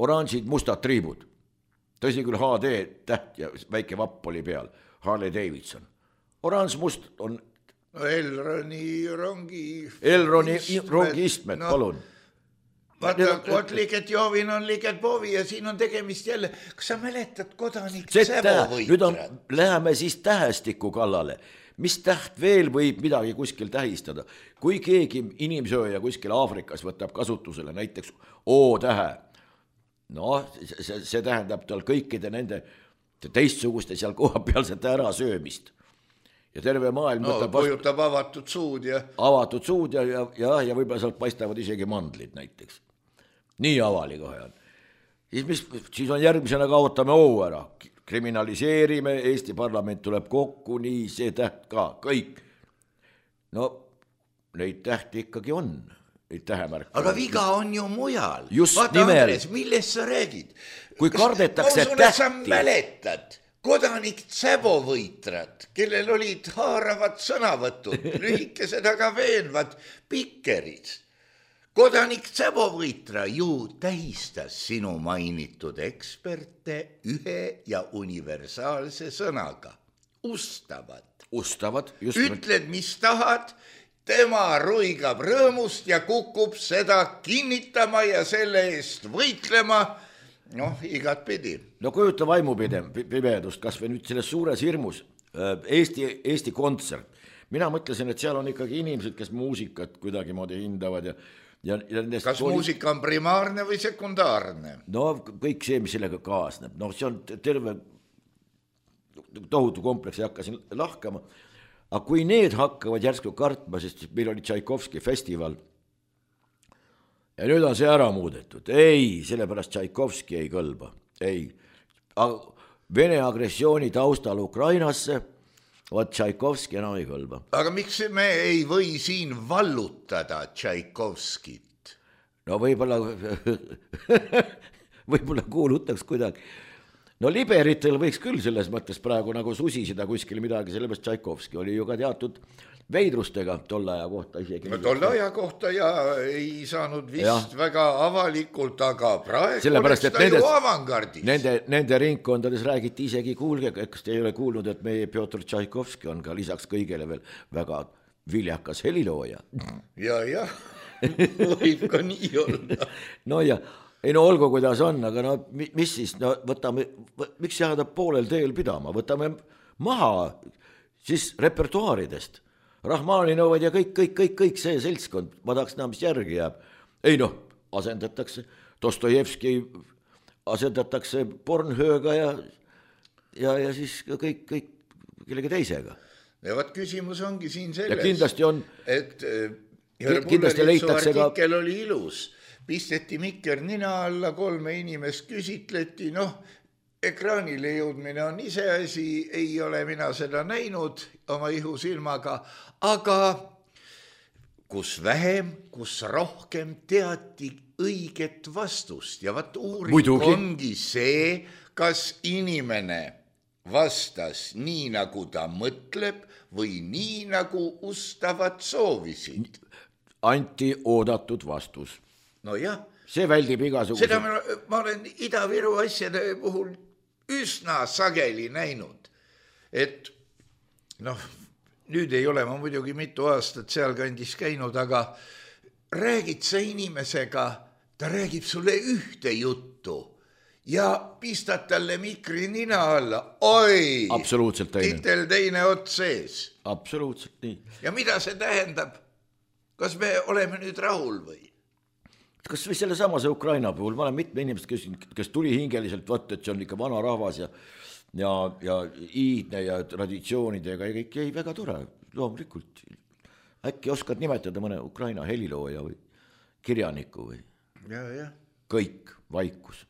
Speaker 2: Oranžid mustad triibud, tõsi küll H D täht ja väike vapp oli peal, Harley Davidson. Oranž must on
Speaker 3: no Elroni rongi
Speaker 2: Elroni istmed, rongi istmed, no, palun.
Speaker 3: Vaata, kod liiget joovin on liiget poovi ja siin on tegemist jälle, kas sa mäletad kodanik Sevo võitrat?
Speaker 2: Nüüd on, läheme siis tähestiku kallale. Mis täht veel võib midagi kuskil tähistada? Kui keegi inimsööja kuskil Aafrikas võtab kasutusele näiteks O-tähe, no see, see tähendab tal kõikide nende teistsuguste seal koha pealsete ära söömist. Ja terve maailm
Speaker 3: no, kujutab vastu... avatud suud ja
Speaker 2: avatud suud ja, ja, ja, ja võib-olla sealt paistavad isegi mandlid näiteks. Nii avali kohe on. Siis, mis, siis on järgmisena kaotame O ära. Kriminaliseerime, Eesti parlament tuleb kokku, nii see täht ka, kõik. No neid tähti ikkagi on.
Speaker 3: Aga viga on ju mujal.
Speaker 2: Just
Speaker 3: vaata,
Speaker 2: nimel.
Speaker 3: Andres, millest sa räägid?
Speaker 2: Kui kardetakse
Speaker 3: tähti.
Speaker 2: Ma
Speaker 3: usun, et sa mäletad kodanik Sevo võitrat, kellel olid haaravad sõnavõtud, lühikesed aga veenvad pikkerid. Kodanik Sevo võitra ju tähistas sinu mainitud eksperte ühe ja universaalse sõnaga. Ustavad.
Speaker 2: Ustavad. Just
Speaker 3: ütled, mis tahad, tema ruigab rõõmust ja kukub seda kinnitama ja selle eest võitlema, noh, igat pidi.
Speaker 2: No kujuta vaimupimedust, kas või nüüd selles suures hirmus Eesti, Eesti kontsert. Mina mõtlesin, et seal on ikkagi inimesed, kes muusikat kuidagi moodi hindavad ja Ja, ja
Speaker 3: kas oli... muusika on primaarne või sekundaarne?
Speaker 2: No kõik see, mis sellega kaasneb. No see on terve tohutu kompleks, ei hakka siin lahkama. Aga kui need hakkavad järsku kartma, sest meil oli Tšaikovski festival ja nüüd on see ära muudetud. Ei, sellepärast Tšaikovski ei kõlba. Ei. Vene agressiooni taustal Ukrainasse Vaat Tšaikovski enam ei kõlba.
Speaker 3: Aga miks me ei või siin vallutada Tšaikovskit?
Speaker 2: No võib-olla võib-olla kuulutaks kuidagi. No liberitel võiks küll selles mõttes praegu nagu susisida kuskil midagi, sellepärast Tšaikovski oli ju ka teatud veidrustega tolle aja kohta isegi.
Speaker 3: No tolle aja kohta ja ei saanud vist ja. Väga avalikult, aga praegu
Speaker 2: sellepärast,
Speaker 3: oleks ta
Speaker 2: nendes,
Speaker 3: ju avangardis.
Speaker 2: Nende, nende ringkondades räägiti isegi, kuulge, kas te ei ole kuulnud, et meie Pjotr Tšaikovski on ka lisaks kõigele veel väga viljakas helilooja.
Speaker 3: Ja, ja, võib ka nii olla.
Speaker 2: No ja, ei no olgu kuidas on, aga no mis siis, no võtame, miks jääda poolel teel pidama, võtame maha siis repertuaaridest. Rahmaninõuvad ja kõik, kõik, kõik, kõik see seltskond, ma tahaks näha, mis järgi jääb. Ei noh, asendatakse, Dostojevski asendatakse Pornhööga ja, ja, ja siis kõik, kõik kellegi teisega.
Speaker 3: Ja vaat küsimus ongi siin selles,
Speaker 2: ja kindlasti on,
Speaker 3: et
Speaker 2: kindlasti leitakse ka...
Speaker 3: artikkel oli ilus, pisteti mikker nina alla, kolme inimest küsitleti, noh, ekraanile jõudmine on ise asi, ei ole mina seda näinud oma ihusilmaga, aga kus vähem, kus rohkem teati õiget vastust ja vaat uuring Muidugi. Ongi see, kas inimene vastas nii, nagu ta mõtleb või nii, nagu ustavad soovisid.
Speaker 2: Anti oodatud vastus.
Speaker 3: No jah.
Speaker 2: See väldib igasuguse.
Speaker 3: Seda ma, ma olen Ida-Viru asjade puhul üsna sageli näinud, et noh, nüüd ei ole ma muidugi mitu aastat sealkandis käinud, aga räägid sa inimesega, ta räägib sulle ühte juttu ja pistad talle mikri nina alla, oi,
Speaker 2: absoluutselt teine.
Speaker 3: Titel teine ots sees.
Speaker 2: Absoluutselt nii.
Speaker 3: Ja mida see tähendab? Kas me oleme nüüd rahul või?
Speaker 2: Kas või selle samase Ukraina puhul, ma olen mitme inimest, kes, kes tuli hingeliselt võtta, et see on ikka vana rahvas ja, ja, ja iidne ja traditsioonidega ja kõik jäi väga tore, loomulikult. Äkki oskad nimetada mõne Ukraina helilooja või kirjaniku või?
Speaker 3: Ja, ja.
Speaker 2: Kõik, vaikus.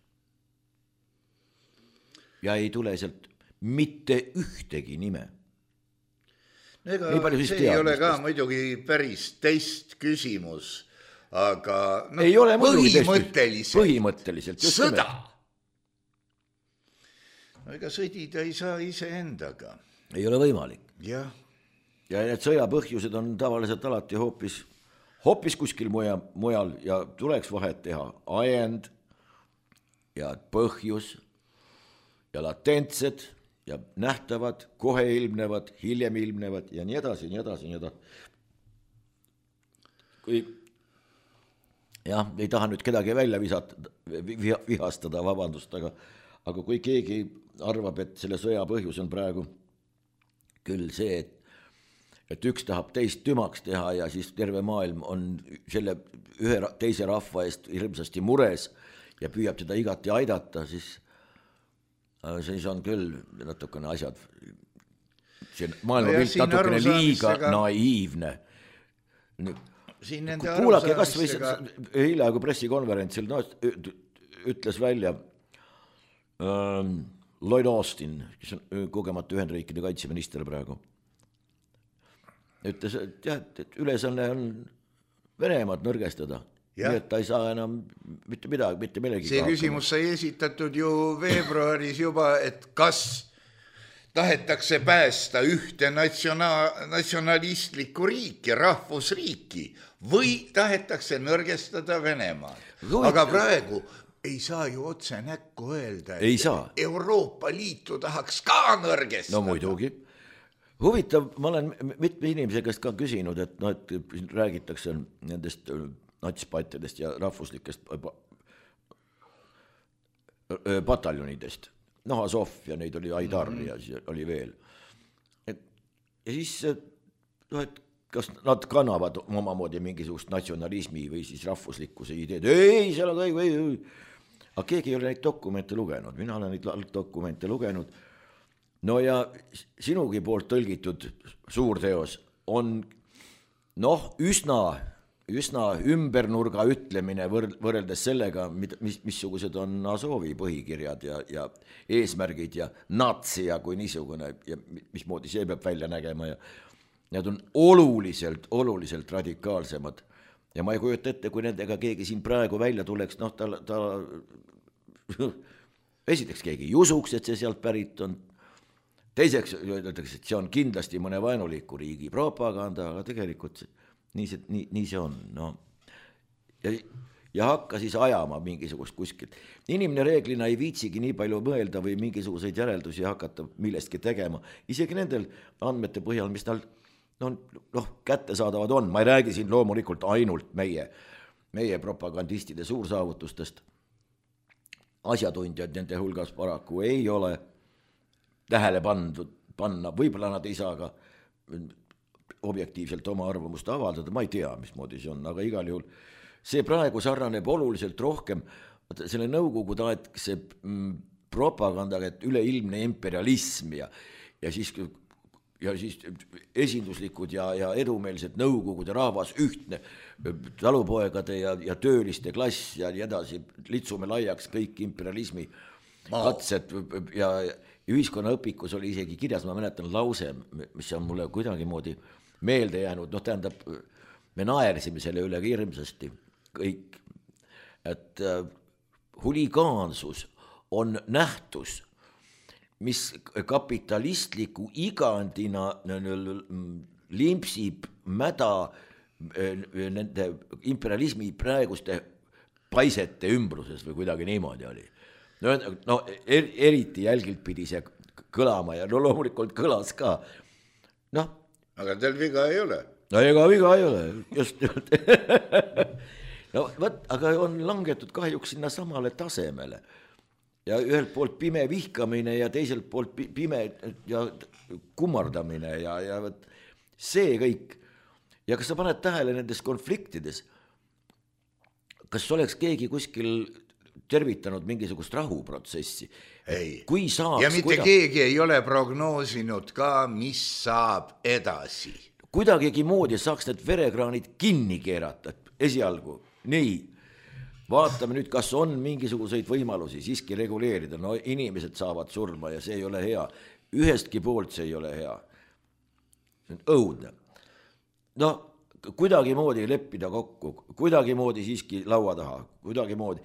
Speaker 2: ja ei tule sealt mitte ühtegi nime.
Speaker 3: No ega see ei ole ka muidugi päris teist küsimus, aga no,
Speaker 2: ei ole
Speaker 3: põhimõtteliselt,
Speaker 2: põhimõtteliselt
Speaker 3: sõda. No ega sõdida ei saa iseendaga.
Speaker 2: Ei ole võimalik.
Speaker 3: Jah.
Speaker 2: Ja need sõjapõhjused on tavaliselt alati hoopis, hoopis kuskil muja, mujal ja tuleks vahet teha ajend ja põhjus ja latentsed ja nähtavad, kohe ilmnevad, hiljem ilmnevad ja nii edasi, nii edasi, nii edasi. Kui jah, ei taha nüüd kedagi välja visata, vihastada, vabandust, aga, aga kui keegi arvab, et selle sõja põhjus on praegu küll see, et, et üks tahab teist tümaks teha ja siis terve maailm on selle ühe teise rahva eest hirmsasti mures ja püüab teda igati aidata, siis siis on küll natukene asjad, see maailmapilt no natukene liiga naiivne. Kuulake kas või hiljaaegu pressikonverentsil no, ütles välja ähm, Lloyd Austin, kes on kogemata Ühendriikide kaitseminister praegu. Ütles, et, jah, et ülesanne on Venemaad nõrgestada. Ja. Nii et ta ei saa enam mitte midagi, mitte millegi
Speaker 3: see küsimus sai esitatud ju veebruaris juba, et kas tahetakse päästa ühte natsiona- natsionalistlikku riiki, rahvusriiki või tahetakse nõrgestada Venemaad. Aga praegu ei saa ju otse näkku öelda, et
Speaker 2: saa.
Speaker 3: Euroopa Liitu tahaks ka nõrgestada.
Speaker 2: No muidugi. Huvitav, ma olen mitme inimese käest ka küsinud, et, no, et räägitakse nendest natspattidest ja rahvuslikest pataljonidest. Noh, Azov ja neid oli Aidar mm-hmm. ja siis oli veel. Et, ja siis, no, et kas nad kannavad omamoodi mingisugust natsionalismi või siis rahvuslikkuse ideed. Ei, seal on kõik, ei, ei. Aga keegi ei ole neid dokumente lugenud. Mina olen neid dokumente lugenud. No ja sinugi poolt tõlgitud suurteos on noh, üsna üsna ümbernurga ütlemine võrreldes sellega, mis, missugused on Azovi põhikirjad ja, ja eesmärgid ja natsia kui niisugune ja mismoodi see peab välja nägema ja need on oluliselt, oluliselt radikaalsemad ja ma ei kujuta ette, kui nendega keegi siin praegu välja tuleks, noh, ta, ta esiteks keegi ei usuks, et see sealt pärit on, teiseks öeldakse, et see on kindlasti mõne vaenuliku riigi propaganda, aga tegelikult Nii see, nii, nii see on, no. Ja, ja hakka siis ajama mingisugust kuskilt. Inimene reeglina ei viitsigi nii palju mõelda või mingisuguseid järeldusi hakata millestki tegema. Isegi nendel andmete põhjal, mis tal no, noh, kättesaadavad on. Ma ei räägi siin loomulikult ainult meie, meie propagandistide suursaavutustest. Asjatundjad nende hulgas paraku ei ole tähele pandud, panna. Võib-olla nad ei saa ka objektiivselt oma arvamust avaldada, ma ei tea, mismoodi see on, aga igal juhul see praegu sarnaneb oluliselt rohkem selle nõukogude aegse propagandaga, et üleilmne imperialism ja, ja, siis, ja siis esinduslikud ja, ja edumeelsed nõukogude rahvas, ühtne talupoegade ja, ja tööliste klass ja nii edasi, litsume laiaks kõik imperialismi katsed ja, ja ühiskonnaõpikus oli isegi kirjas, ma mäletan lause, mis on mulle kuidagi moodi meelde jäänud, noh tähendab, me naersime selle üle hirmsasti kõik, et äh, huligaansus on nähtus, mis kapitalistliku igandina limpsib mäda nende imperialismi praeguste paisete ümbruses või kuidagi niimoodi oli. No, no er, eriti jälgilt pidi see kõlama ja no loomulikult kõlas ka, noh,
Speaker 3: aga teil viga ei ole.
Speaker 2: No ega viga ei ole, just no võt, aga on langetud kahjuks sinna samale tasemele ja ühelt poolt pime vihkamine ja teiselt poolt pime ja kummardamine ja, ja võt, see kõik ja kas sa paned tähele nendes konfliktides, kas oleks keegi kuskil tervitanud mingisugust rahuprotsessi.
Speaker 3: Ei.
Speaker 2: Kui saaks,
Speaker 3: ja mitte kuida... keegi ei ole prognoosinud ka, mis saab edasi.
Speaker 2: Kuidagigi moodi saaks need verekraanid kinni keerata esialgu. Nii. vaatame nüüd, kas on mingisuguseid võimalusi siiski reguleerida, no inimesed saavad surma ja see ei ole hea, ühestki poolt see ei ole hea, õudne. No kuidagimoodi leppida kokku, kuidagimoodi siiski laua taha, kuidagimoodi,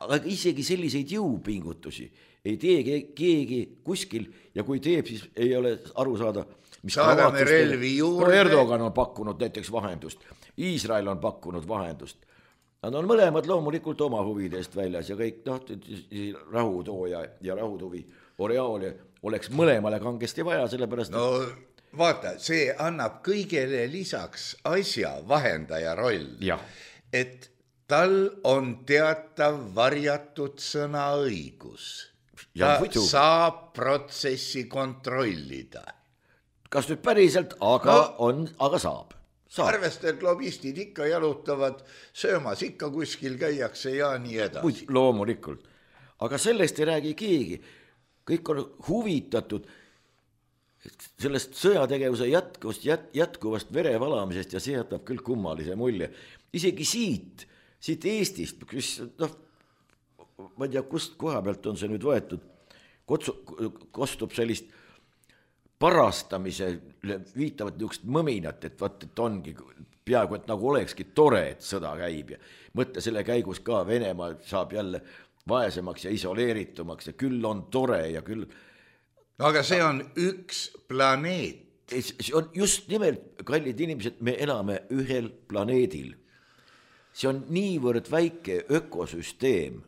Speaker 2: aga isegi selliseid jõupingutusi ei tee keegi kuskil ja kui teeb, siis ei ole aru saada, mis
Speaker 3: saadame relvi juurde.
Speaker 2: No Erdogan on pakkunud näiteks vahendust, Iisrael on pakkunud vahendust. Nad on mõlemad loomulikult oma huvidest väljas ja kõik noh, rahutooja ja rahutuvi Oreaali oleks mõlemale kangesti vaja, sellepärast...
Speaker 3: No vaata, see annab kõigele lisaks asja vahendaja roll, ja. Et tal on teatav varjatud sõnaõigus. Ta ja, saab protsessi kontrollida.
Speaker 2: Kas nüüd päriselt, aga no, on, aga saab.
Speaker 3: Arvesta, et lobistid ikka jalutavad söömas, ikka kuskil käiakse ja nii edasi.
Speaker 2: Loomulikult. Aga sellest ei räägi keegi. Kõik on huvitatud sellest sõjategevuse jätkuvast, jätkuvast verevalamisest ja see jätab küll kummalise mulje. Isegi siit, siit Eestist, kus, noh, ma ei tea, kust koha pealt on see nüüd võetud, kostub sellist parastamise viitavad niisugust mõminat, et, vaat, et ongi peaaegu, et nagu olekski tore, et sõda käib ja mõtle selle käigus ka Venemaa saab jälle vaesemaks ja isoleeritumaks ja küll on tore ja küll...
Speaker 3: No, aga see on üks planeet.
Speaker 2: See on just nimelt, kallid inimesed, me elame ühel planeedil. See on niivõrd väike ökosüsteem.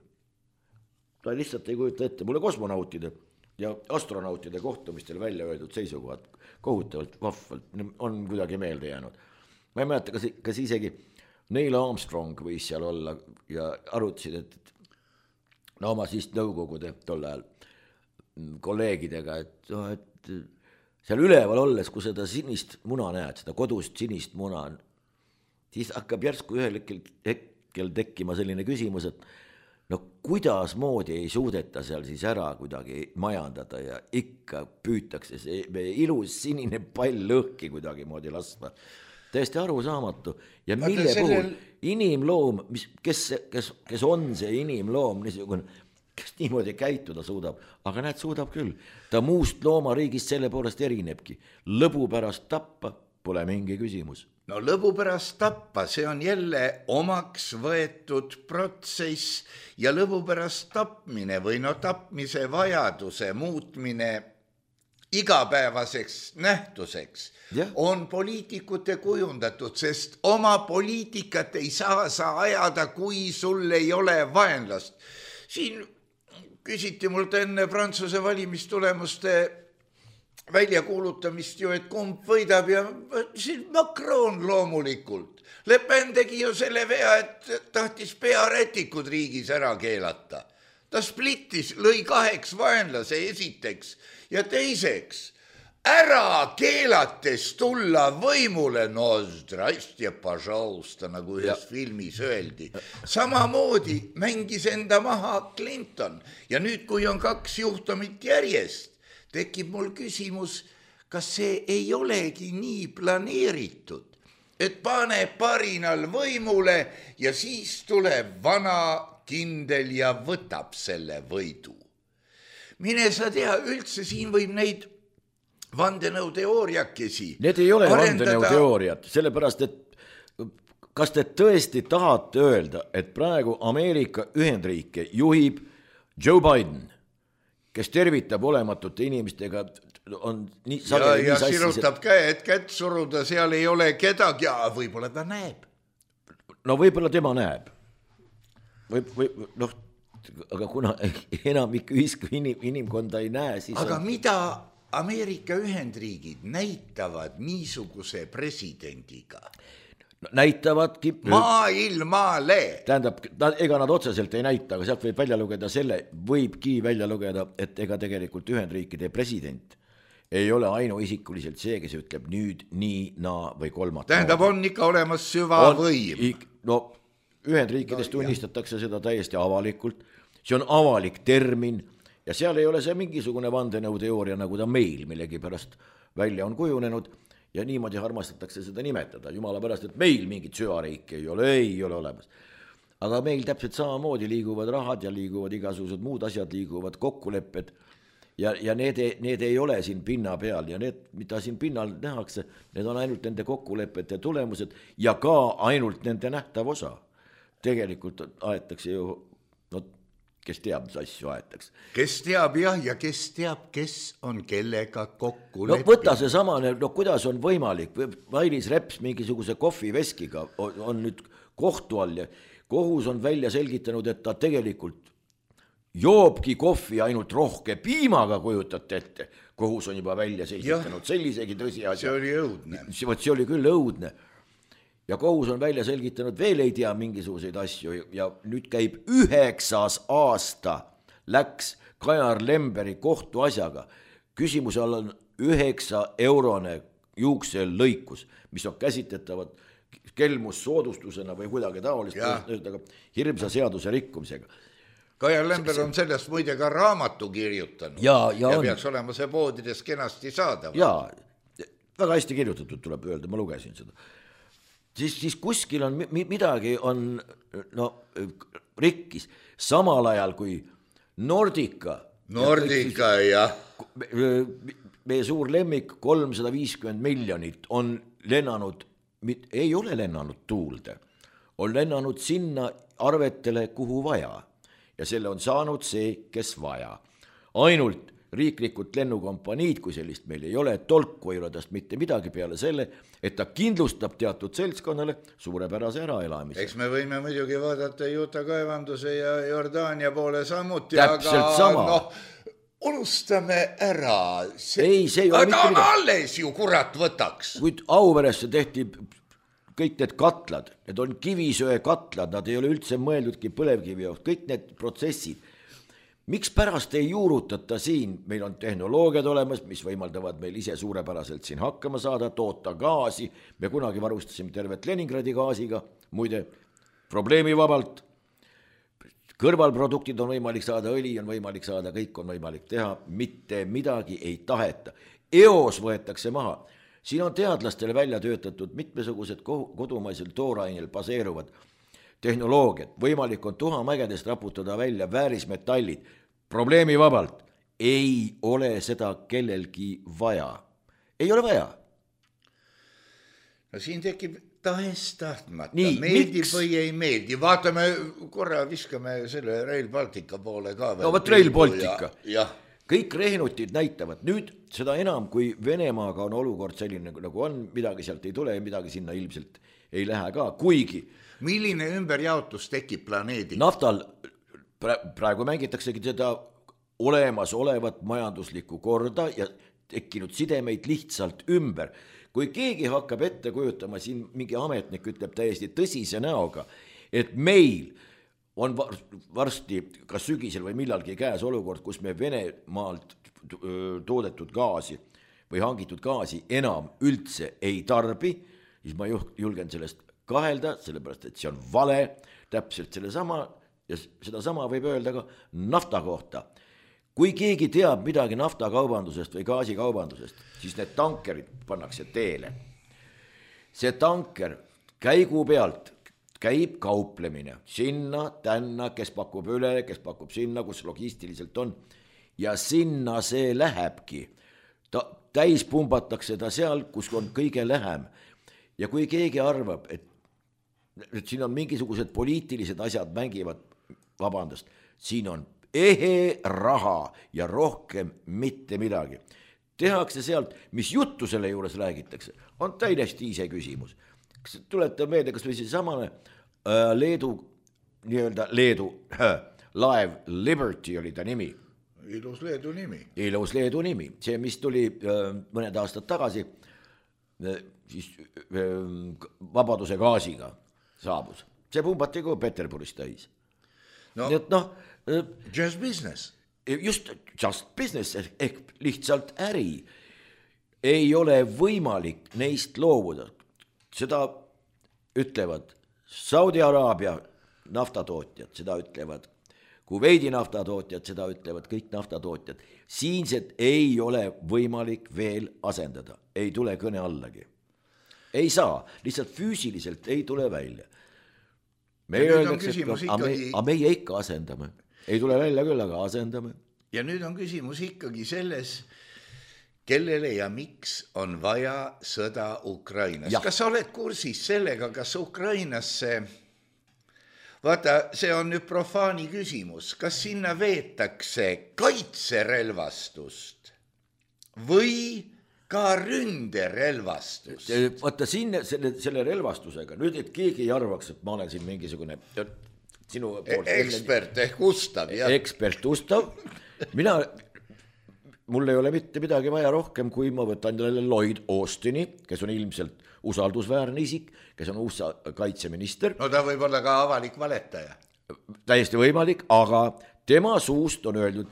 Speaker 2: Ta lihtsalt ei kujuta ette. Mulle kosmonautide ja astronautide kohtumistel välja öeldud seisukohad kohutavalt vahvalt on kuidagi meelde jäänud. Ma ei mäleta, kas, kas isegi Neil Armstrong võis seal olla ja arutasid, et no oma siis nõukogude tol ajal kolleegidega, et, no, et seal üleval olles, kui seda sinist muna näed, seda kodust sinist muna, siis hakkab järsku ühel hetkel tekkima selline küsimus, et no kuidas moodi ei suudeta seal siis ära kuidagi majandada ja ikka püütakse see meie ilus sinine pall lõhki kuidagi moodi lasma. Täiesti arusaamatu. Ja mille sellel... puhul inimloom, mis, kes, kes, kes on see inimloom, niisugune, kes niimoodi käituda suudab, aga näed, suudab küll. Ta muust loomariigist selle poolest erinebki. Lõbu pärast tappa pole mingi küsimus.
Speaker 3: No lõbu pärast tappa, see on jälle omaks võetud protsess ja lõbu pärast tapmine või no tapmise vajaduse muutmine igapäevaseks nähtuseks yeah. on poliitikute kujundatud, sest oma poliitikat ei saa sa ajada, kui sul ei ole vaenlast. Siin küsiti mult enne Prantsuse valimistulemuste välja kuulutamist ju, et kumb võidab ja siin Macron loomulikult. Le Pen tegi ju selle vea, et tahtis pearätikud riigis ära keelata. Ta splittis, lõi kaheks vaenlase esiteks ja teiseks ära keelates tulla võimule, no zdrastie, pažausta, nagu ühes ja. filmis öeldi. Samamoodi mängis enda maha Clinton ja nüüd, kui on kaks juhtumit järjest, tekib mul küsimus, kas see ei olegi nii planeeritud, et pane parinal võimule ja siis tuleb vana kindel ja võtab selle võidu. Mine sa tea, üldse siin võib neid vandenõuteooriakesi
Speaker 2: Need ei ole arendada... vandenõuteooriad, sellepärast, et kas te tõesti tahate öelda, et praegu Ameerika Ühendriike juhib Joe Biden, kes tervitab olematute inimestega, on nii
Speaker 3: sageli ja, ja nii sirutab et... käed, kätt suruda, seal ei ole kedagi, ja võib-olla ta näeb.
Speaker 2: No võib-olla tema näeb. Või, või, noh, aga kuna enamik ühisku inim, inimkonda ei näe, siis
Speaker 3: aga
Speaker 2: on...
Speaker 3: mida Ameerika Ühendriigid näitavad niisuguse presidendiga?
Speaker 2: No, näitavadki
Speaker 3: maailmale.
Speaker 2: Tähendab, ega nad otseselt ei näita, aga sealt võib välja lugeda selle, võibki välja lugeda, et ega tegelikult Ühendriikide president ei ole ainuisikuliselt see, kes ütleb nüüd nii, naa või kolmat.
Speaker 3: Tähendab, on ikka olemas süvavõim.
Speaker 2: No, Ühendriikides no, tunnistatakse jah. seda täiesti avalikult. See on avalik termin ja seal ei ole see mingisugune vandenõuteooria, nagu ta meil millegi pärast välja on kujunenud. Ja niimoodi armastatakse seda nimetada, jumala pärast, et meil mingit süvariiki ei ole, ei ole olemas. aga meil täpselt samamoodi liiguvad rahad ja liiguvad igasugused muud asjad, liiguvad kokkulepped ja, ja need, need ei ole siin pinna peal ja need, mida siin pinnal nähakse, need on ainult nende kokkulepete tulemused ja ka ainult nende nähtav osa. Tegelikult aetakse ju, no kes teab, mis asju aetakse.
Speaker 3: Kes teab jah, ja kes teab, kes on kellega kokku
Speaker 2: no
Speaker 3: leppinud.
Speaker 2: võta see samane, no kuidas on võimalik, Mailis Reps mingisuguse kohviveskiga on, on nüüd kohtu all ja kohus on välja selgitanud, et ta tegelikult joobki kohvi ainult rohke piimaga, kujutate ette. Kohus on juba välja selgitanud ja, sellisegi tõsiasja.
Speaker 3: See oli õudne.
Speaker 2: See, see oli küll õudne. Ja kohus on välja selgitanud, veel ei tea mingisuguseid asju ja nüüd käib üheksas aasta läks Kajar Lemberi kohtuasjaga. Küsimuse all on üheksa eurone juuksel lõikus, mis on käsitletavad kelmus soodustusena või kuidagi taolist, hirmsa seaduse rikkumisega.
Speaker 3: Kajar Lember on sellest muide ka raamatu kirjutanud
Speaker 2: ja, ja,
Speaker 3: ja
Speaker 2: on.
Speaker 3: peaks olema see poodides kenasti saada.
Speaker 2: Ja, väga hästi kirjutatud tuleb öelda, ma lugesin seda. Siis, siis kuskil on midagi on no, rikkis, samal ajal kui Nordica
Speaker 3: Nordica, jah.
Speaker 2: Meie suur lemmik kolmsada viiskümmend miljonit on lennanud, ei ole lennanud tuulde, on lennanud sinna arvetele, kuhu vaja. Ja selle on saanud see, kes vaja. Ainult riiklikult lennukompaniid, kui sellist meil ei ole, tolku ei ole tast mitte midagi peale selle, et ta kindlustab teatud seltskonnale suurepärase äraelamise.
Speaker 3: Eks me võime muidugi vaadata Juta kaevanduse ja Jordaania poole samuti,
Speaker 2: täpselt
Speaker 3: aga
Speaker 2: sama.
Speaker 3: No, unustame ära. See...
Speaker 2: Ei, see ei ole
Speaker 3: aga on alles ju, kurat, võtaks.
Speaker 2: Kuid Auveresse tehti kõik need katlad, need on kivisöe katlad, nad ei ole üldse mõeldudki põlevkivi jaoks, kõik need protsessid. Miks pärast ei juurutata siin, meil on tehnoloogiad olemas, mis võimaldavad meil ise suurepäraselt siin hakkama saada, toota gaasi, me kunagi varustasime tervet Leningradi gaasiga, muide probleemivabalt, kõrvalproduktid on võimalik saada, õli on võimalik saada, kõik on võimalik teha, mitte midagi ei taheta. Eos võetakse maha. Siin on teadlastele välja töötatud mitmesugused kodumaisel toorainel baseeruvad tehnoloogiad. Võimalik on tuhamägedest raputada välja väärismetallid. Probleemi vabalt. Ei ole seda kellelgi vaja. Ei ole vaja.
Speaker 3: No siin tekib tahest tahtmata. Nii, meeldib miks? Või ei meeldi. Vaatame, korra viskame selle Rail Baltica poole ka.
Speaker 2: No võt Rail Baltica. Ja, jah. Kõik rehnutid näitavad, nüüd seda enam, kui Venemaaga on olukord selline, nagu on, midagi sealt ei tule ja midagi sinna ilmselt ei lähe ka, kuigi.
Speaker 3: Milline ümberjaotus tekib planeedil?
Speaker 2: Naftal praegu mängitaksegi seda olemas olevat majanduslikku korda ja tekkinud sidemeid lihtsalt ümber. Kui keegi hakkab ette kujutama, siin mingi ametnik ütleb täiesti tõsise näoga, et meil on varsti kas sügisel või millalgi käes olukord, kus me Venemaalt toodetud gaasi või hangitud gaasi enam üldse ei tarbi, siis ma julgen sellest kahelda, sellepärast et see on vale, täpselt selle sama, ja seda sama võib öelda ka nafta kohta. Kui keegi teab midagi naftakaubandusest või gaasikaubandusest, siis need tankerid pannakse teele. See tanker käigu pealt käib kauplemine sinna, tänna, kes pakub üle, kes pakub sinna, kus logistiliselt on. Ja sinna see lähebki. Ta, täis pumbatakse ta seal, kus on kõige lähem. Ja kui keegi arvab, et, et siin on mingisugused poliitilised asjad mängivad, vabandust, siin on ehe raha ja rohkem mitte midagi. Tehakse sealt, mis juttu selle juures räägitakse, on täiesti ise küsimus. Kas tulete meelde, kas või see samane äh, Leedu, nii-öelda Leedu äh, laev Liberty oli ta nimi.
Speaker 3: Ilus Leedu nimi.
Speaker 2: Ilus Leedu nimi. See, mis tuli äh, mõned aastad tagasi, äh, siis äh, vabaduse gaasiga saabus. See pumbati kui Peterburis täis.
Speaker 3: No,
Speaker 2: nii et noh, äh,
Speaker 3: just business.
Speaker 2: Just just business ehk lihtsalt äri. Ei ole võimalik neist loobuda. Seda ütlevad Saudi Araabia naftatootjad, seda ütlevad Kuveidi naftatootjad, seda ütlevad kõik naftatootjad. Siinsed ei ole võimalik veel asendada, ei tule kõne allagi. Ei saa, lihtsalt füüsiliselt ei tule välja. meie öeldakse, et ikkagi... aga meie ikka asendame. Ei tule välja küll, aga asendame.
Speaker 3: Ja nüüd on küsimus ikkagi selles, kellele ja miks on vaja sõda Ukrainas. Ja. Kas sa oled kursis sellega, kas Ukrainasse, vaata, see on nüüd profaani küsimus, kas sinna veetakse kaitserelvastust või ka ründerelvastust?
Speaker 2: Vaata siin selle, selle relvastusega, nüüd et keegi ei arvaks, et ma olen siin mingisugune sinu poolt...
Speaker 3: Ekspert ehk Ustav, jah.
Speaker 2: Ekspert Ustav. Mina... Mul ei ole mitte midagi vaja rohkem, kui ma võtan jälle Lloyd Austini, kes on ilmselt usaldusväärne isik, kes on U S A kaitseminister.
Speaker 3: No ta võib olla ka avalik valetaja.
Speaker 2: Täiesti võimalik, aga tema suust on öeldud,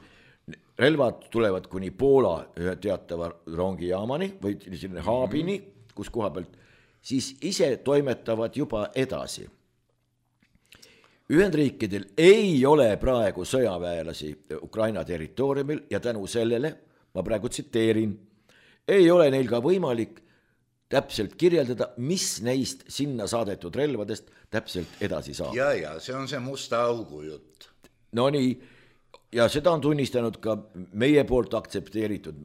Speaker 2: relvad tulevad kuni Poola ühe teatava rongijaamani või selline haabini, kus koha pealt, siis ise toimetavad juba edasi. Ühendriikidel ei ole praegu sõjaväelasi Ukraina territooriumil ja tänu sellele, ma praegu tsiteerin, ei ole neil ka võimalik täpselt kirjeldada, mis neist sinna saadetud relvadest täpselt edasi saab.
Speaker 3: Ja, ja, see on see musta augu jutt.
Speaker 2: No nii, ja seda on tunnistanud ka meie poolt aktsepteeritud,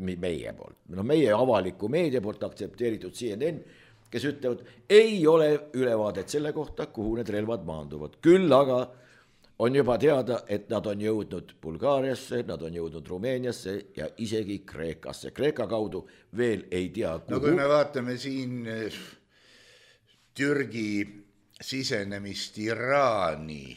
Speaker 2: meie poolt, no meie avaliku meedia poolt aktsepteeritud C N N, kes ütlevad, ei ole ülevaadet selle kohta, kuhu need relvad maanduvad. Küll aga on juba teada, et nad on jõudnud Bulgaariasse, nad on jõudnud Rumeeniasse ja isegi Kreekasse. Kreeka kaudu veel ei tea, kuhu.
Speaker 3: No kui me vaatame siin Türgi sisenemist Iraani.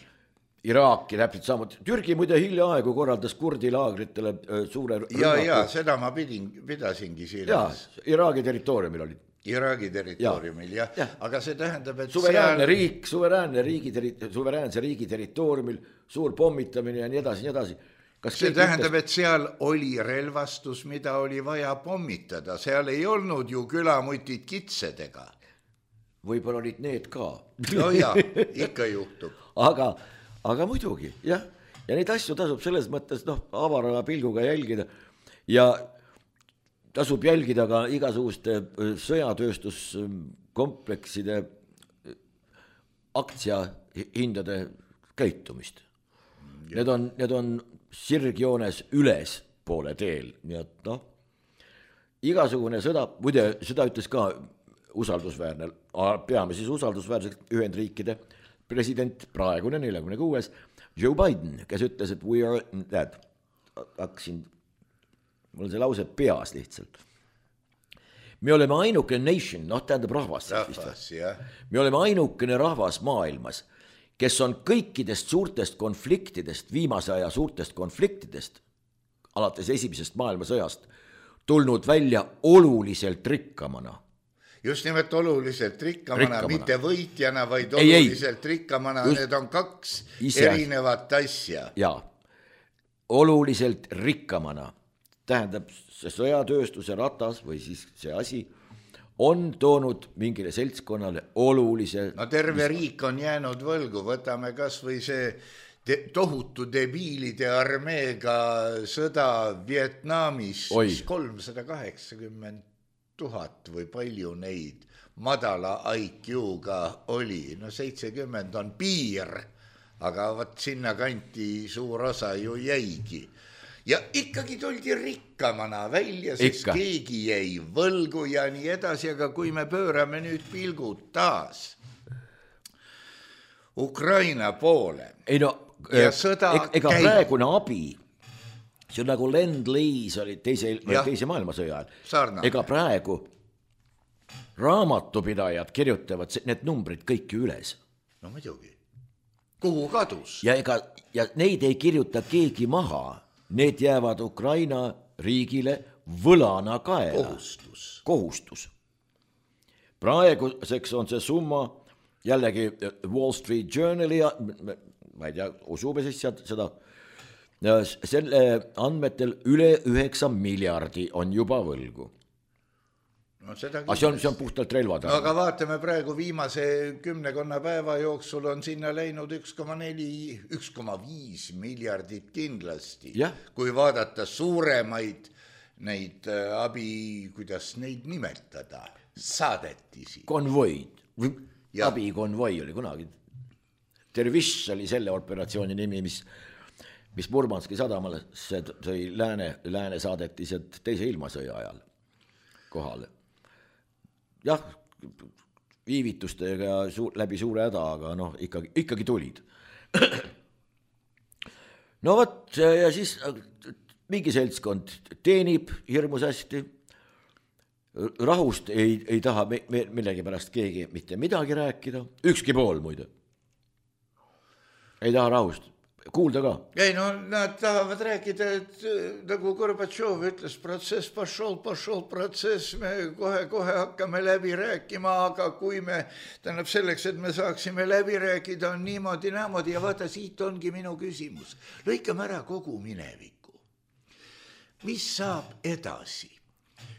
Speaker 2: Iraaki täpselt samuti. Türgi muide hiljaaegu korraldas kurdi laagritele suure rünnaku.
Speaker 3: Ja, ja, seda ma pidin, pidasingi silmas.
Speaker 2: Ja, Iraagi territooriumil olid.
Speaker 3: Iraagi territooriumil, jah. Ja. Aga see tähendab, et
Speaker 2: suveräänne seal... riik, suveräänne riigi, suveräänse riigi territooriumil, suur pommitamine ja nii edasi, nii edasi.
Speaker 3: Kas see tähendab, ütles... et seal oli relvastus, mida oli vaja pommitada. Seal ei olnud ju külamutid kitsedega.
Speaker 2: Võib-olla olid need ka.
Speaker 3: No jah, ikka juhtub.
Speaker 2: Aga, aga muidugi, jah. Ja neid asju tasub selles mõttes, noh, avara pilguga jälgida. Ja tasub jälgida ka igasuguste sõjatööstuskomplekside aktsiahindade käitumist. Need on, need on sirgjoones üles poole teel, nii et noh, igasugune sõda, muide, seda ütles ka usaldusväärne, peame siis usaldusväärseks Ühendriikide president, praegune neljakümne kuues Joe Biden, kes ütles, et we are that, hakkasin mul on see lause peas lihtsalt. Me oleme ainukene nation, noh tähendab rahvas.
Speaker 3: Rahvas, jah.
Speaker 2: Me oleme ainukene rahvas maailmas, kes on kõikidest suurtest konfliktidest, viimase aja suurtest konfliktidest, alates esimesest maailmasõjast, tulnud välja oluliselt rikkamana.
Speaker 3: Just nimelt oluliselt rikkamana, rikkamana. Mitte võitjana, vaid oluliselt ei, ei. rikkamana. Just... Need on kaks ise... erinevat asja.
Speaker 2: Jaa, oluliselt rikkamana. Tähendab, see sõjatööstuse ratas või siis see asi on toonud mingile seltskonnale olulise...
Speaker 3: No terve riik on jäänud võlgu, võtame kas või see de- tohutu debiilide armeega sõda Vietnamis, mis kolmsada kaheksakümmend tuhat või palju neid madala I Q-ga oli, no seitsekümmend on piir, aga võt sinna kanti suur osa ju jäigi. Ja ikkagi tuldi rikkamana välja, sest Ikka. keegi jäi võlgu ja nii edasi, aga kui me pöörame nüüd pilgud taas Ukraina poole
Speaker 2: ei no,
Speaker 3: ja sõda
Speaker 2: ega, ega käib. Praegune abi, see on nagu Lend-Lease oli teise, teise maailmasõja ajal, ega praegu raamatupidajad kirjutavad need numbrid kõik üles.
Speaker 3: No muidugi, kuhu kadus?
Speaker 2: Ja, ega, ja neid ei kirjuta keegi maha. Need jäävad Ukraina riigile võlana kaela.
Speaker 3: Kohustus.
Speaker 2: Kohustus. Praeguseks on see summa jällegi Wall Street Journali, ma ei tea, usume siis seda, selle andmetel üle üheksa miljardi on juba võlgu.
Speaker 3: No seda
Speaker 2: aga see on, see on puhtalt relvad.
Speaker 3: No, aga vaatame praegu viimase kümnekonna päeva jooksul on sinna läinud üks koma neli, üks koma viis miljardit kindlasti.
Speaker 2: Ja.
Speaker 3: Kui vaadata suuremaid neid abi, kuidas neid nimetada, saadetisi.
Speaker 2: Konvoid, abikonvoi oli kunagi. Dervish oli selle operatsiooni nimi, mis, mis Murmanski sadamale see tõi lääne, lääne saadeti sealt teise ilmasõja ajal kohale. Jah, viivitustega suur, läbi suure häda, aga noh, ikkagi, ikkagi tulid. No võt, ja siis mingi seltskond teenib hirmus hästi, rahust ei, ei taha millegi pärast keegi mitte midagi rääkida, ükski pool muide. Ei taha rahust, kuulda ka.
Speaker 3: Ei no nad tahavad rääkida, et nagu Gorbatšov ütles, protsess pašol, pašol protsess, me kohe-kohe hakkame läbi rääkima, aga kui me, tähendab selleks, et me saaksime läbi rääkida, on niimoodi, nämoodi ja vaata, siit ongi minu küsimus. Lõikame ära kogu mineviku. Mis saab edasi?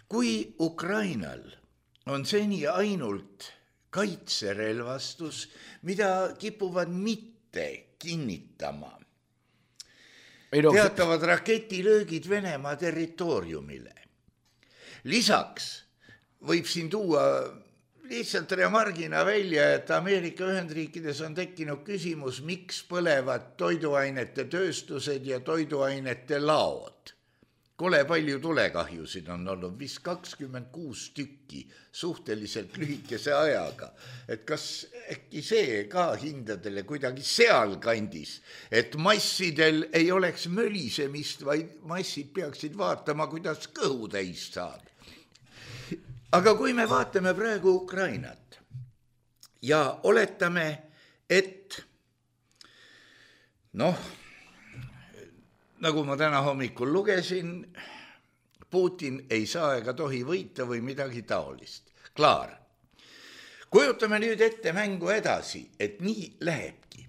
Speaker 3: Kui Ukrainal on seni ainult kaitserelvastus, mida kipuvad mitte kinnitama. No, teatavad raketilöögid Venemaa territooriumile. Lisaks võib siin tuua lihtsalt remargina välja, et Ameerika Ühendriikides on tekkinud küsimus, miks põlevad toiduainete tööstused ja toiduainete laod. Kole palju tulekahjusid on olnud, vist kakskümmend kuus tükki suhteliselt lühikese ajaga. Et kas äkki see ka hindadele kuidagi seal kandis, et massidel ei oleks mölisemist, vaid massid peaksid vaatama, kuidas kõhu täis saab. Aga kui me vaatame praegu Ukrainat ja oletame, et noh, nagu ma täna hommikul lugesin, Putin ei saa ega tohi võita või midagi taolist. Klaar. Kujutame nüüd ette mängu edasi, et nii lähebki.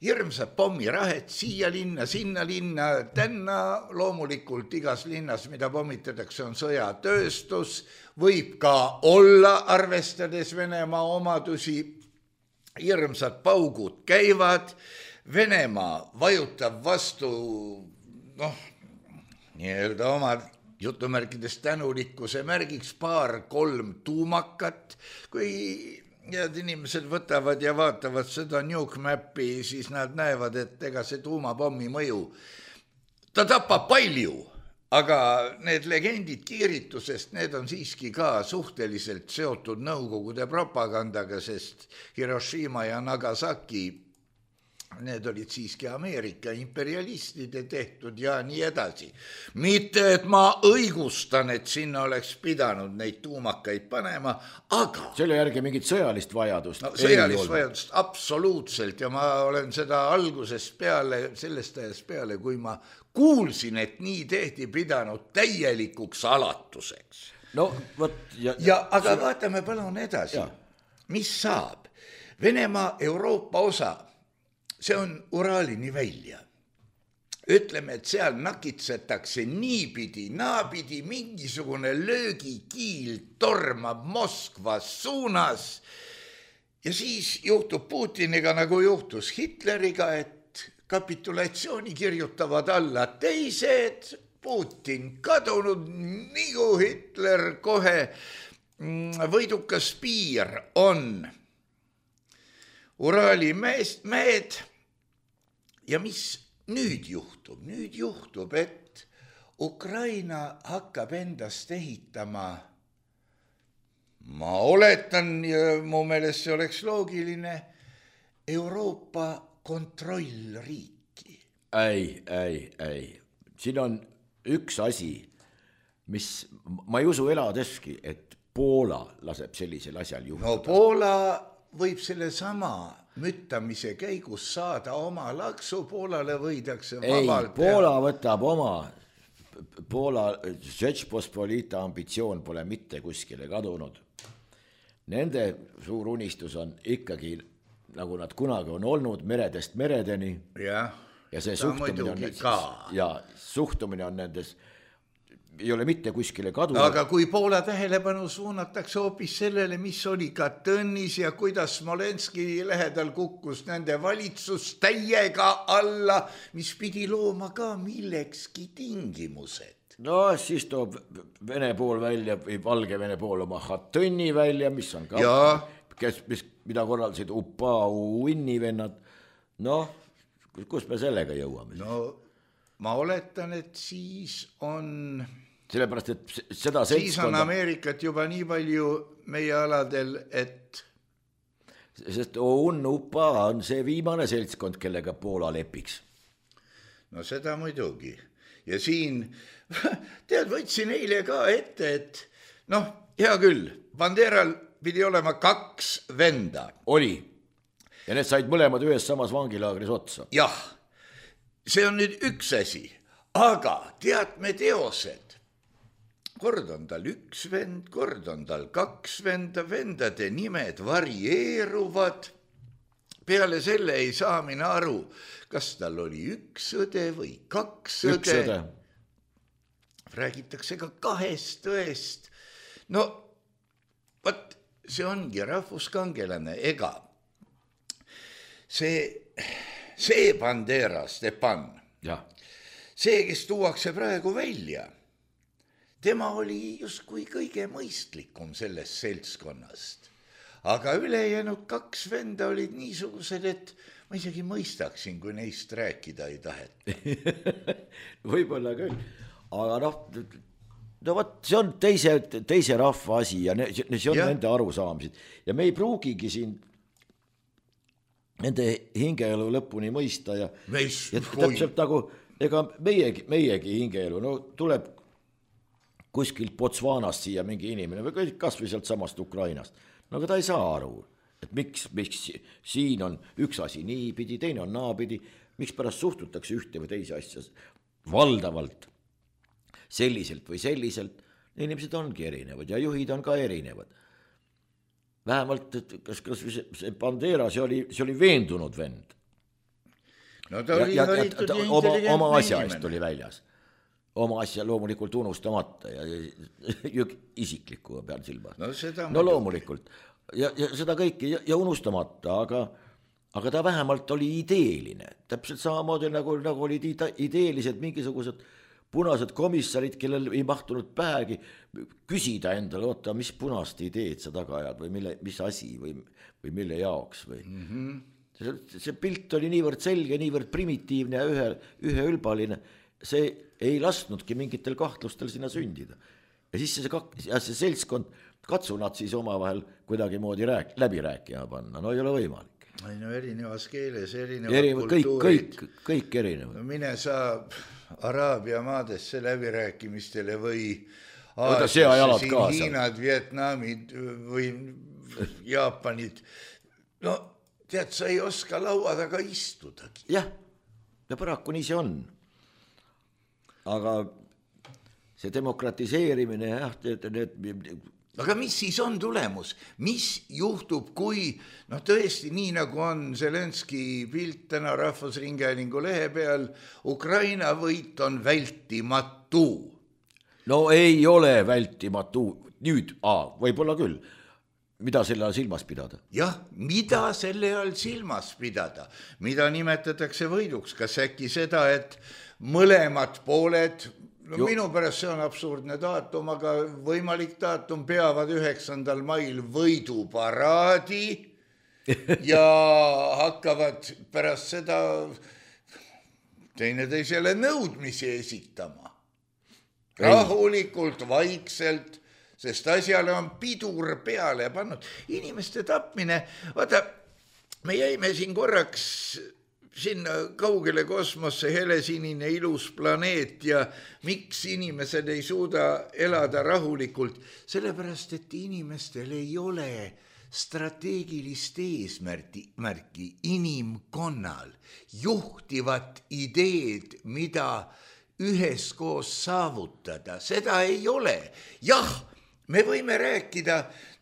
Speaker 3: Hirmsad pommirahet siia linna, sinna linna, tänna loomulikult igas linnas, mida pommitatakse, on sõjatööstus, võib ka olla, arvestades Venemaa omadusi, hirmsad paugud käivad, Venemaa vajutab vastu, noh, nii-öelda oma jutumärkides tänulikkuse märgiks paar kolm tuumakat. Kui head inimesed võtavad ja vaatavad seda nuke mappi, siis nad näevad, et ega see tuumapommi mõju, ta tapab palju, aga need legendid kiiritusest, need on siiski ka suhteliselt seotud Nõukogude propagandaga, sest Hiroshima ja Nagasaki, need olid siiski Ameerika imperialistide tehtud ja nii edasi. Mitte, et ma õigustan, et sinna oleks pidanud neid tuumakaid panema, aga...
Speaker 2: Selle järgi mingit sõjalist vajadust
Speaker 3: no, sõjalist vajadust, absoluutselt. Ja ma olen seda algusest peale, sellest ajast peale, kui ma kuulsin, et nii tehti pidanud täielikuks alatuseks.
Speaker 2: No, võt, ja,
Speaker 3: ja, aga vaatame palun edasi. Ja. Mis saab? Venemaa Euroopa osa, see on Uraalini välja. Ütleme, et seal nakitsetakse niipidi, naapidi, mingisugune löögikiil tormab Moskva suunas ja siis juhtub Putiniga, nagu juhtus Hitleriga, et kapitulatsiooni kirjutavad alla teised, Putin kadunud, nagu Hitler kohe võidukas piir on Uraali mehed ja mis nüüd juhtub? Nüüd juhtub, et Ukraina hakkab endast ehitama, ma oletan ja mu meelest see oleks loogiline, Euroopa kontrollriiki.
Speaker 2: Ei, ei, ei. Siin on üks asi, mis ma ei usu eladeski, et Poola laseb sellisel asjal juhtuda.
Speaker 3: No Poola võib selle sama müttamise käigus saada oma laksu, Poolale võidakse vabalt.
Speaker 2: Ei, Poola võtab oma, Poola Žečpospolita ambitsioon pole mitte kuskile kadunud. Nende suur unistus on ikkagi, nagu nad kunagi on olnud, meredest meredeni.
Speaker 3: Ja,
Speaker 2: ja see suhtumine on, ja, suhtumine on nendes ei ole mitte kuskile kadunud.
Speaker 3: Aga kui Poola tähelepanu suunatakse hoopis sellele, mis oli Katõnis ja kuidas Smolenski lähedal kukkus nende valitsus täiega alla, mis pidi looma ka millekski tingimused.
Speaker 2: No siis toob Vene pool välja või Valgevene pool oma Katõni välja, mis on ka
Speaker 3: ja.
Speaker 2: kes, mis, mida korraldasid Upa, Uinni vennad, noh, kus me sellega jõuame?
Speaker 3: No ma oletan, et siis on...
Speaker 2: Sellepärast, et seda
Speaker 3: siis
Speaker 2: seltskonda...
Speaker 3: on Ameerikat juba nii palju meie aladel, et...
Speaker 2: Sest on Upa on see viimane seltskond, kellega Poola lepiks.
Speaker 3: No seda muidugi. Ja siin, tead, võtsin eile ka ette, et noh, hea küll, Banderal pidi olema kaks venda.
Speaker 2: Oli. Ja need said mõlemad ühes samas vangilaagris otsa.
Speaker 3: Jah, see on nüüd üks asi, aga tead me teosed. Kord on tal üks vend, kord on tal kaks venda, vendade nimed varieeruvad. Peale selle ei saa mina aru, kas tal oli üks õde või kaks õde.
Speaker 2: Üks õde.
Speaker 3: Räägitakse ka kahest õest. No, võt, see ongi rahvuskangelane, ega see, see Bandera Stepan,
Speaker 2: ja.
Speaker 3: see, kes tuuakse praegu välja, tema oli justkui kõige mõistlikum sellest seltskonnast. Aga ülejäänud kaks venda olid niisugused, et ma isegi mõistaksin, kui neist rääkida ei taheta.
Speaker 2: Võib-olla küll, aga noh, no võt, see on teise, teise rahva asi ja ne, see on ja. Nende arusaamised. Ja me ei pruugigi siin nende hingeelu lõpuni mõista ja,
Speaker 3: Meis,
Speaker 2: ja täpselt nagu, ega meiegi, meiegi hingeelu, no tuleb kuskilt Botswanast siia mingi inimene või kas või sealt samast Ukrainast. No aga ta ei saa aru, et miks, miks siin on üks asi niipidi, teine on naapidi, miks pärast suhtutakse ühte või teise asja valdavalt selliselt või selliselt. Inimesed ongi erinevad ja juhid on ka erinevad. Vähemalt, et kas, kas see Bandera, see oli, see oli veendunud vend.
Speaker 3: No ta oli
Speaker 2: ja, ja,
Speaker 3: haritud ja
Speaker 2: oma,
Speaker 3: intelligentne
Speaker 2: oma asja eest
Speaker 3: inimene.
Speaker 2: oli väljas. Oma asja loomulikult unustamata ja, ja isiklikku peal silmas.
Speaker 3: No, seda
Speaker 2: no loomulikult. Ja, ja seda kõike ja, ja unustamata, aga, aga ta vähemalt oli ideeline. Täpselt samamoodi nagu, nagu olid ideelised mingisugused punased komissarid, kellel ei mahtunud päegi küsida endale, oota, mis punast ideed sa taga ajad või mille, mis asi või, või mille jaoks või. Mm-hmm. See, see pilt oli niivõrd selge, niivõrd primitiivne ja ühe, ühe ülbaline. See ei lasknudki mingitel kahtlustel sinna sündida. Ja siis see, ja see seltskond, katsu nad siis omavahel kuidagi moodi rääk, läbi rääkima panna. No ei ole võimalik.
Speaker 3: Ei no erinevas keeles, erinevad
Speaker 2: Erinev,
Speaker 3: kultuurid.
Speaker 2: Kõik, kõik, kõik erinevad.
Speaker 3: No mine sa Araabia maadesse läbirääkimistele või
Speaker 2: Aasiasse, siin
Speaker 3: Hiinad, Vietnamid või Jaapanid. No tead, sa ei oska laua taga istudagi.
Speaker 2: Jah, ja paraku nii see on. Aga see demokratiseerimine, jah, need...
Speaker 3: Aga mis siis on tulemus? Mis juhtub, kui, noh tõesti, nii nagu on Zelenski pilt täna Rahvusringhäälingu lehe peal, Ukraina võit on vältimatu.
Speaker 2: No ei ole vältimatu. Nüüd, aa, võib-olla küll. Mida selle all silmas pidada?
Speaker 3: Jah, mida selle all silmas pidada? Mida nimetatakse võiduks? Kas äkki seda, et mõlemad pooled... No jo. Minu pärast see on absurdne daatum, aga võimalik daatum peavad üheksandal mail võiduparaadi ja hakkavad pärast seda teineteisele nõudmisi esitama. Rahulikult, vaikselt, sest asjale on pidur peale pannud. Inimeste tapmine, vaata, me jäime siin korraks... sinna kaugele kosmosse helesinine ilus planeet ja miks inimesed ei suuda elada rahulikult, sellepärast, et inimestel ei ole strateegilist eesmärki, märki inimkonnal, juhtivat ideed, mida üheskoos saavutada, seda ei ole. Jah, me võime rääkida,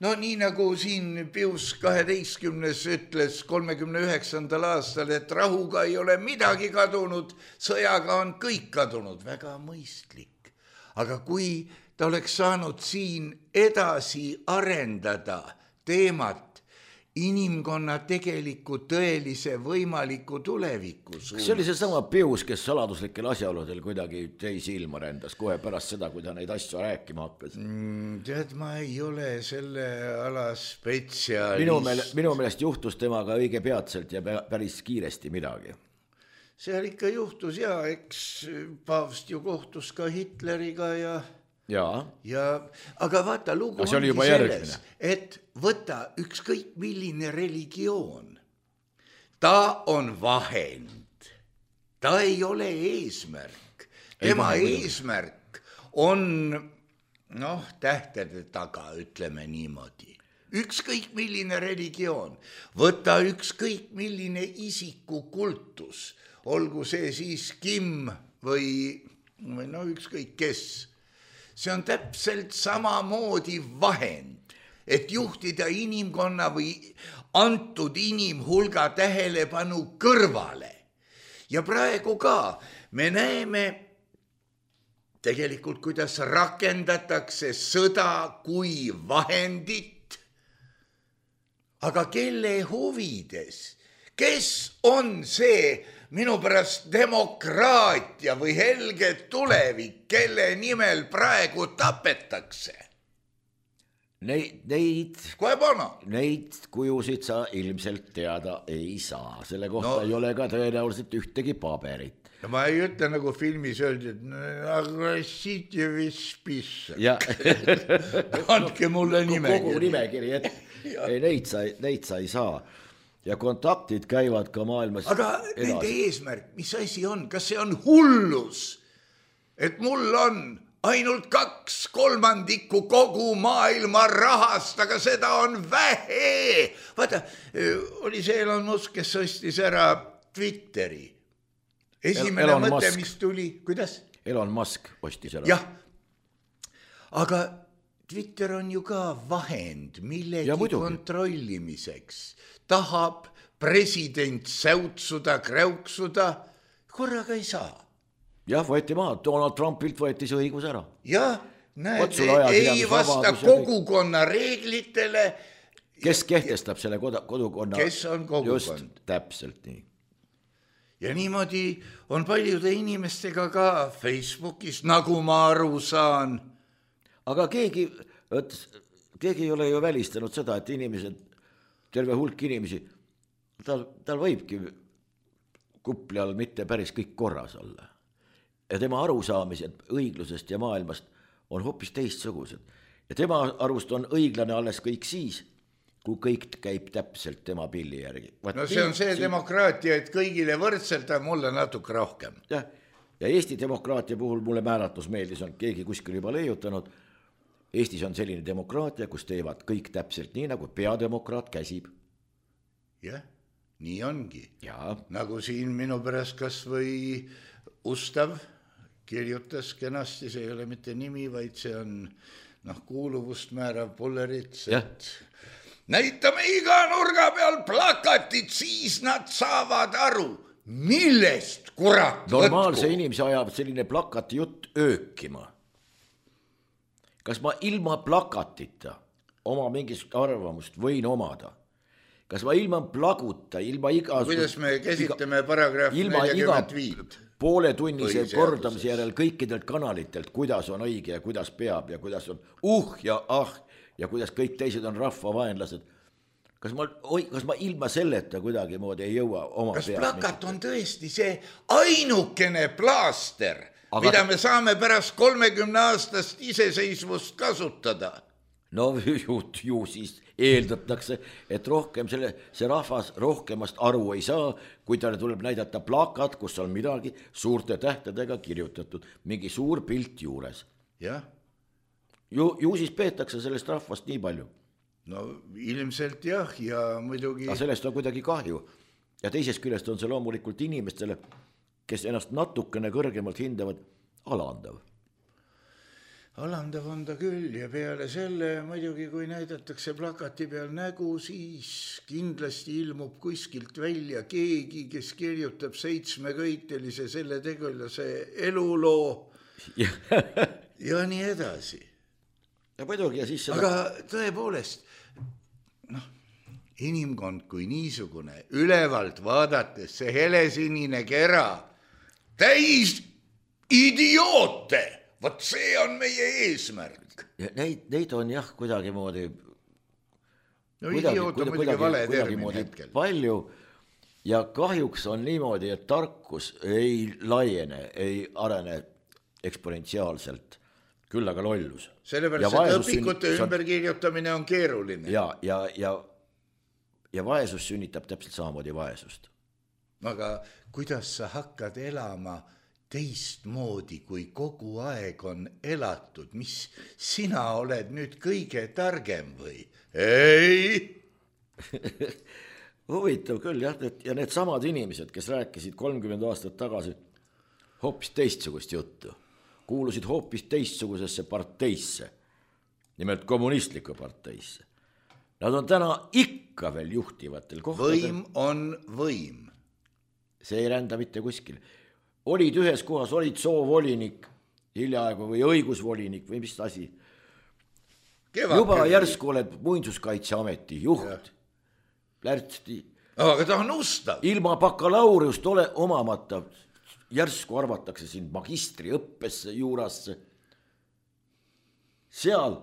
Speaker 3: no nii nagu siin Pius kaheteistkümnes ütles kolmekümne üheksandal aastal, et rahuga ei ole midagi kadunud, sõjaga on kõik kadunud, väga mõistlik. Aga kui ta oleks saanud siin edasi arendada teemat inimkonna tegeliku tõelise võimaliku tuleviku suunas.
Speaker 2: See oli see sama Pius, kes saladuslikel asjaoludel kuidagi teisi ilma rändas kohe pärast seda, kui ta neid asju rääkima hakkas.
Speaker 3: Mm, tead, ma ei ole selle ala spetsialist.
Speaker 2: Minu, meele, minu meelest juhtus temaga õige peatselt ja päris kiiresti midagi.
Speaker 3: Seal ikka juhtus ja eks paavst ju kohtus ka Hitleriga ja...
Speaker 2: Ja.
Speaker 3: ja aga vaata, lugu
Speaker 2: aga
Speaker 3: ongi selles,
Speaker 2: järgmine.
Speaker 3: Et võta ükskõik milline religioon. Ta on vahend. Ta ei ole eesmärk. Tema ei eesmärk on, noh, tähtede taga, ütleme niimoodi. Ükskõik milline religioon. Võta ükskõik milline isikukultus. Olgu see siis Kim või, või no ükskõik kes. See on täpselt samamoodi vahend, et juhtida inimkonna või antud inimhulga tähelepanu kõrvale. Ja praegu ka me näeme tegelikult, kuidas rakendatakse sõda kui vahendit, aga kelle huvides? Kes on see minu pärast demokraatia või helge tulevik, kelle nimel praegu tapetakse?
Speaker 2: Neid, neid, neid kujusid sa ilmselt teada ei saa. Selle kohta no, ei ole ka tõenäoliselt ühtegi paberit.
Speaker 3: Ma ei ütle nagu filmis öeldi, et aggressiite vispisse. Andke mulle nimekiri.
Speaker 2: Kogu nimekiri, et ei, neid, sa, neid sa ei saa. Ja kontaktid käivad ka maailmas
Speaker 3: aga edasi. Nende eesmärk, mis asi on? Kas see on hullus? Et mul on ainult kaks kolmandikku kogu maailma rahast, aga seda on vähe. Vaata, oli see Elon Musk, kes ostis ära Twitteri. Esimene
Speaker 2: Elon
Speaker 3: mõte,
Speaker 2: Musk.
Speaker 3: mis tuli, kuidas?
Speaker 2: Elon Musk ostis ära.
Speaker 3: Jah, aga Twitter on ju ka vahend millegi kontrollimiseks. Tahab president säutsuda, kräuksuda, korraga ei saa.
Speaker 2: Jah, võeti maha, Donald Trumpilt võeti see õigus ära.
Speaker 3: Jah, näed, ei vasta kogukonna reeglitele.
Speaker 2: Kes kehtestab selle kodukonna?
Speaker 3: Kes on kogukond?
Speaker 2: Just, täpselt nii.
Speaker 3: Ja niimoodi on paljude inimestega ka Facebookis, nagu ma aru saan.
Speaker 2: Aga keegi, keegi ei ole ju välistanud seda, et inimesed, terve hulk inimesi, tal, tal võibki kupli all mitte päris kõik korras olla. Ja tema arusaamised õiglusest ja maailmast on hoopis teistsugused. Ja tema arust on õiglane alles kõik siis, kui kõik käib täpselt tema pilli järgi.
Speaker 3: Vaat no see on see siin... demokraatia, et kõigile võrdselt on mulle natuke rohkem.
Speaker 2: Ja, ja Eesti demokraatia puhul mulle määratus meeldis, on keegi kuskil juba leiutanud. Eestis on selline demokraatia, kus teevad kõik täpselt nii, nagu peademokraat käsib.
Speaker 3: Jah, nii ongi.
Speaker 2: Ja.
Speaker 3: Nagu siin minu pärast kas või Ustav kirjutas kenasti, see ei ole mitte nimi, vaid see on noh, kuuluvust määrav Pullerits, et näitame iga nurga peal plakatit, siis nad saavad aru, millest kurat võtku.
Speaker 2: Normaalse inimese ajab selline plakati jutt öökima. Kas ma ilma plakatita oma mingist arvamust võin omada? Kas ma ilma plaguta, ilma igasugust...
Speaker 3: Kuidas me käsitleme paragrahv nelikümmend viis?
Speaker 2: Poole tunnise kordamise järel kõikidelt kanalitelt, kuidas on õige ja kuidas peab ja kuidas on uh ja ah ja kuidas kõik teised on rahvavaenlased. Kas ma, oi, kas ma ilma selleta kuidagi moodi ei jõua oma
Speaker 3: kas
Speaker 2: peab?
Speaker 3: Kas plakat on tõesti see ainukene plaaster, aga... mida me saame pärast kolmekümne aastast iseseisvust kasutada?
Speaker 2: No ju, ju siis eeldatakse, et rohkem selle, see rahvas rohkemast aru ei saa, kui talle tuleb näidata plakat, kus on midagi suurte tähtedega kirjutatud, mingi suur pilt juures.
Speaker 3: Jah.
Speaker 2: Ju, ju siis peetakse sellest rahvast nii palju.
Speaker 3: No ilmselt jah, ja muidugi...
Speaker 2: Aga sellest on kuidagi kahju. Ja teisest küljest on see loomulikult inimestele, kes ennast natukene kõrgemalt hindavad, alandav.
Speaker 3: Alandav on ta küll ja peale selle muidugi, kui näidatakse plakati peal nägu, siis kindlasti ilmub kuskilt välja keegi, kes kirjutab seitsmeköitelise selle tegulase eluloo ja, ja nii edasi.
Speaker 2: Ja muidugi ja siis seda...
Speaker 3: Aga tõepoolest, noh, inimkond kui niisugune, ülevalt vaadates see helesinine kera, täis idioote, vot see on meie eesmärk.
Speaker 2: Neid, neid on jah kuidagimoodi
Speaker 3: no idioot on muidugi vale termin hetkel.
Speaker 2: Palju ja kahjuks on niimoodi, et tarkus ei laiene, ei arene eksponentsiaalselt, küll aga lollus.
Speaker 3: Sellepärast, et õpikute ümberkirjutamine on keeruline.
Speaker 2: Ja, ja, ja, ja vaesus sünnitab täpselt samamoodi vaesust.
Speaker 3: Aga kuidas sa hakkad elama teistmoodi, kui kogu aeg on elatud? Mis sina oled nüüd kõige targem või? Ei!
Speaker 2: Huvitav küll, jah, et, ja need samad inimesed, kes rääkisid kolmkümmend aastat tagasi hoopis teistsugust juttu, kuulusid hoopis teistsugusesse parteisse, nimelt kommunistlikku parteisse. Nad on täna ikka veel juhtivatel kohtadel.
Speaker 3: Võim on võim.
Speaker 2: See ei rända mitte kuskil. Olid ühes kohas, olid soovolinik hiljaaegu või õigusvolinik või mis asi. Kevad, juba kevad. Järsku oled Muinsuskaitseameti juht. Lärtsti.
Speaker 3: Aga ta on ustav.
Speaker 2: Ilma bakalaureust ole omamata. Järsku arvatakse siin magistri õppesse juurasse. Seal